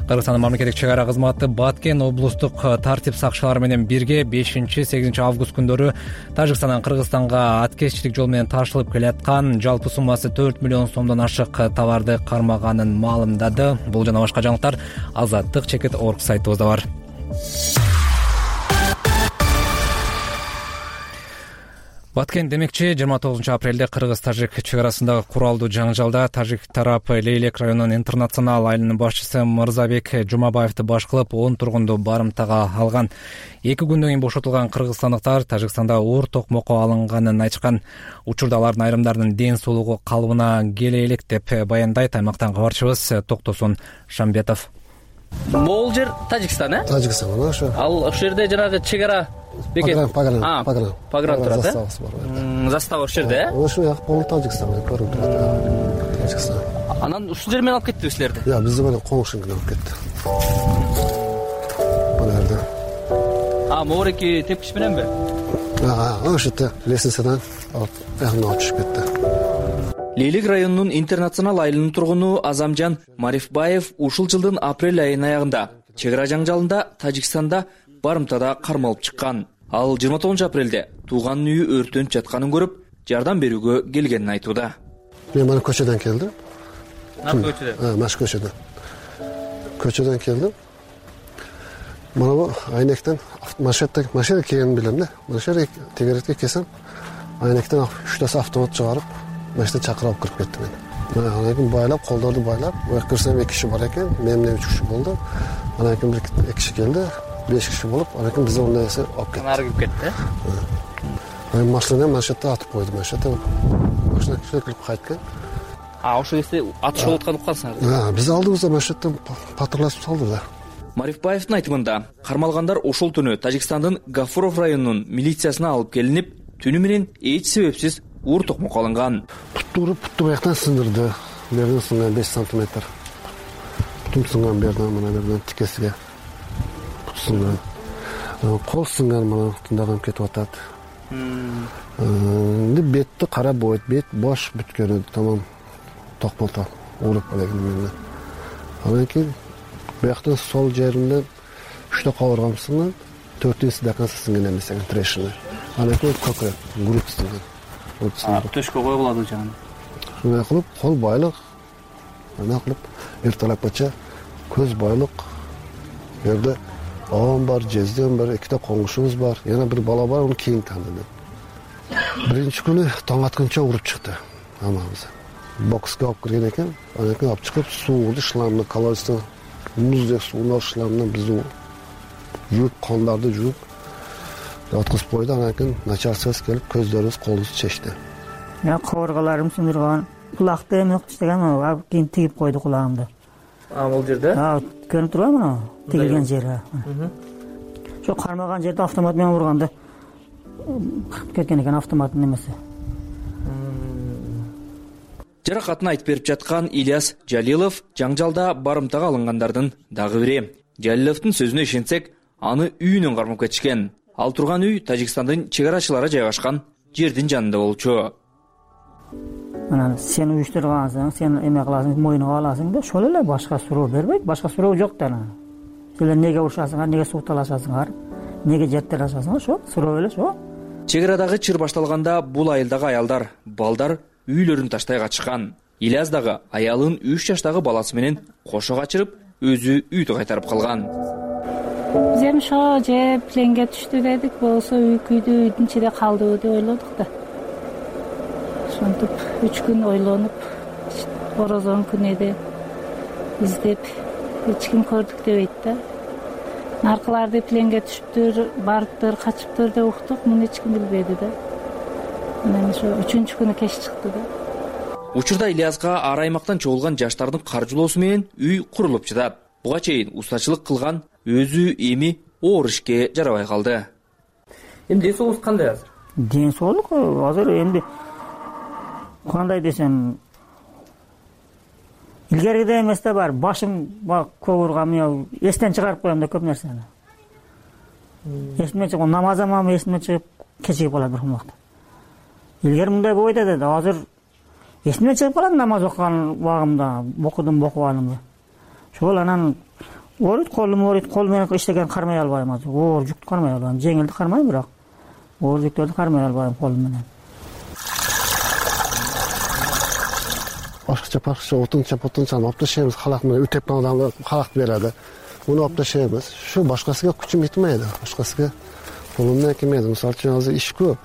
Кыргызстандын мамлекеттик чек ара кызматы Баткен облустук тартип сакчылары менен бирге 5-8 август күндөрү Тажикстандан Кыргызстанга аткезчилик жол менен ташылып келаткан жалпы суммасы 4 миллион сомдон ашык товарды кармаганын маалымдады. Бул жана башка жаңылыктар Азаттык Чекит.org сайтыбызда бар. Баткен демекчи 29 апрелде Кыргыз-Тажик чек арасындагы куралдуу жаңжалда тажик тарап Лейлек районунун интернационал айылынын башчысы Мырзабек Жумабаевди баш кылып 10 тургунду барымтага алган. 2 күндөн кийин бошотулган кыргызстандыктар Тажикстанда оор токмокко алынганын айтышкан. Учурда алардын айрымдарынын ден соолугу калыбына келе элек деп баяндайт аймактан кабарчыбыз Токтосун Шамбетов. Могул жер Тажикстан, Тажикстан ошо. Ал ошол жерде жанагы чек ара бекет. Пагран турат, застава ошол жерде, Ошо як болуп Тажикстан көрүнүп турат. Тажикстан. Анан ушул жер менен алып кеттиби силерди? Бизди менен коңшуң алып кетти. Бул жерде. Моореки тепкич мененби? Ошо лестницадан алып чыгып кетти. Лейлек районунун интернационал айылынын тургуну Азамжан Марифбаев ушул жылдын апрель айынын аягында чек ара жаңжалында Тажикстанда барымтада кармалып чыккан. Ал 29 апрелде тууганын үйү өртөнүп жатканын көрүп, жардам берүүгө келгенин айтууда. Мен мына көчөдөн келдим. Көчөдөн? Маш көчөдөн. Көчөдөн келдим. Мына бу айнектен машина келгенин билем да. Машина тегеретке келсем, айнектен 3 автомат чыгарып, машина чакырып кирип кетти мени. Анан кийин байлап, колдорду байлап, кирсем 2 киши бар экен, мен менен 3 киши болду. Анан кийин 2 киши келди, 5 киши болуп, анан кийин бизди ондай эсе алып кетти. Нары кирип кетти. Мен машинада атып койдум, машина кирип кайткан. Ошол кезде атыш болуп атканын уккансыңар? Биз алдыбызда машинадан патрлашып салды да. Марифбаевдин айтымында, кармалгандар ошол түнү Тажикстандын Гафуров районунун милициясына алып келинип, түнү менен эч себепсиз оор токмокко алынган. Путту бияктан сындырды. Берден сынган 5 сантиметр. Путум сынган берден тикесиге. Пут сынган. Кол сынган мына тындаган кетип атат. Бетти карап бойт, бет бош бүткөнү тамам токмолто уруп элеген менен. Анан кийин бияктан сол жеринен 3 кабыргам сынган, 4-декан сынган эмес экен трешина. Анан кийин көкөк, грудь сынган. Төшкө коюлат жана. Шундай кылып, кол байлык, ана кылып, эртелепче көз байлык. Жерде аам бар, жезден бар, 2 коңшубуз бар, жана бир бала бар, аны кийин таныдым. Биринчи күнү таң атканча уруп чыкты. Амабыз. Бокска алып кирген экен, анан кийин алып чыгып, сууну шлангны колодецтен муздек сууну шлангынан бизди жууп, кондарды жууп откузуп койду. Анан кийин начальствобуз келип, көздөрүбүз, колубузду чечти. Кабыргаларым сындырган, кулакты эме иштеген, кийин тигип койду кулагымды. Бул жерде? Көрүнүп турбайбы мына? Тигилген жери. Ошо кармаган жерде автомат менен урганда кеткен экен автоматтын немеси. Жаракатын айтып берип жаткан Ильяс Жалилов жаңжалда барымтага алынгандардын дагы бири. Жалиловдун сөзүнө ишенсек, аны үйүнөн кармап кетишкен. Ал турган үй Тажикстандын чек арачылары жайгашкан жердин жанында болчу. Анан сен уюштургансың, сен эме кыласың, мойнуңа аласың да, ошол эле, башка суроо бербейт, башка суроо жок да. Силер неге урушасыңар, неге суукталашасыңар, неге жеттелешасыңар, ошо суроо эле ошо. Чек арадагы чыр башталганда бул айылдагы аялдар, балдар үйлөрүн таштай качкан. Ильяс дагы аялын 3 жаштагы баласы менен кошо качырып, өзү үйдү кайтарып калган. Биз эми ошо же пленге түштү дедик, болсо үй күйдү, үйдүн ичинде калдыбы деп ойлодук да. Ошентип 3 күн ойлонуп, орозон күнү издеп, эч ким көрдүк дебейт да. Наркыларды пленге түшүптүр, барыптыр, качыптыр деп уктук, муну эч ким билбеди да. Анан ошо 3-күнү күнү кеч чыкты да. Учурда Ильяска ар аймактан чогулган жаштардын каржылоосу менен үй курулуп жатат. Буга чейин устачылык кылган өзү эми оор ишке жарабай калды. Эми ден соолугуңуз кандай азыр? Ден соолук азыр эми кандай десем, илгеркидей эмес да бар. Башым көп урган, эстен чыгарып коем да көп нерсени. эсиме чыгып намазым эсиме чыгып кечигип калат бир убакта. Илгери мындай болбойт эди. Азыр эсиме чыгып калат намаз окуган убагымда, окубанымды. Ошол анан ооруйт, колум ооруйт, кол менен иштеген кармай албайм азыр. Оор жүктү кармай албайм. Жеңилди кармайм, бирок оор жүктөрдү кармай албайм колум менен. Башкача отунча алып ташыйбыз, халак менен үтеп калган халакты береді. Муну алып ташыйбыз. Şu башкасыга күчүм жетмейди. Башкасыга колумдан келмейди. Мисалы үчүн азыр иш көп.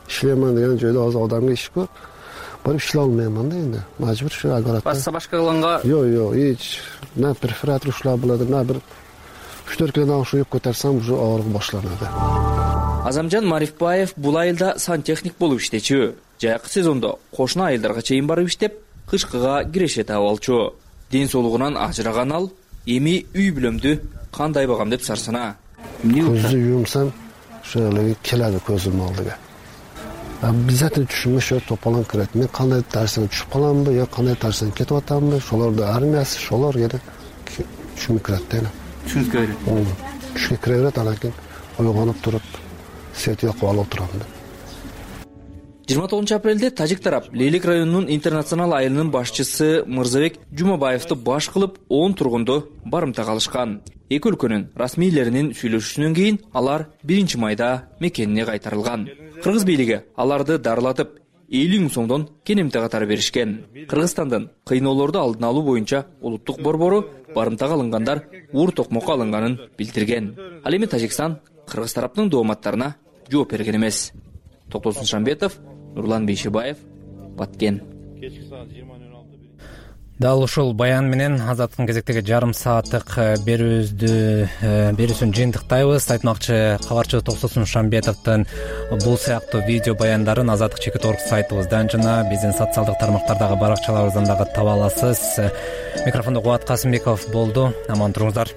Ишлеймин деген жойдо азыр адамга иш көп. Барып ишлей албайм да энди. Мажбур şu агорат. Башка кылганга Жок, эч на перфоратор ушла болот, на бир 3-4 килодан уюп көтөрсөм уже оорук башланат. Азамжан Марифбаев бул айылда сантехник болуп иштечү. Жайкы сезондо кошуна айылдарга чейин барып иштеп, кышкыга киреше таап алчу. Ден соолугунан ажыраган ал эми үй бүлөмдү кандай багам деп сарсана. Көздү юмсам, шöyle келеди көзүм алдыга. Обязательно түшүмө шо топалан кирет. Мен кандай тарсына түшүп каламбы, я кандай тарсына кетип атамбы, шолорду армиясы, шолор эде түшүмө кирет да. Түшүнгө берет. Түшүнгө кире берет, анан кийин ойгонуп туруп, свет якып алып турам да. 29 апрелде тажик тарап Лейлик районунун интернационал айылынын башчысы Мырзабек Жумабаевди баш кылып 10 тургунду барымтага алышкан. Эки өлкөнүн расмийлеринин сүйлөшүүсүнөн кийин алар 1 майда мекенине кайтарылган. Кыргыз бийлиги аларды дарылатып 50 000 сомдон кенемте катары беришкен. Кыргызстандын кыйноолорду алдын алуу боюнча улуттук борбору барымтага алынгандар уур токмокко алынганын билдирген. Ал эми Тажикстан кыргыз тараптын дооматтарына жооп берген эмес. Токтосун Шамбетов, Нурлан Бейшебаев, Баткен. Дал ушул баян менен Азаттыктын кезектеги жарым сааттык берүүсүн жыйынтыктайбыз. Айтмакчы, кабарчы Токтосун Шамбетовдун бул сыяктуу видео баяндарын Азаттык чекит.org сайтыбыздан жана биздин социалдык тармактардагы баракчаларыбыздан дагы таба аласыз. Микрофондо Кубат Касымбеков болду. Аман туруңуздар.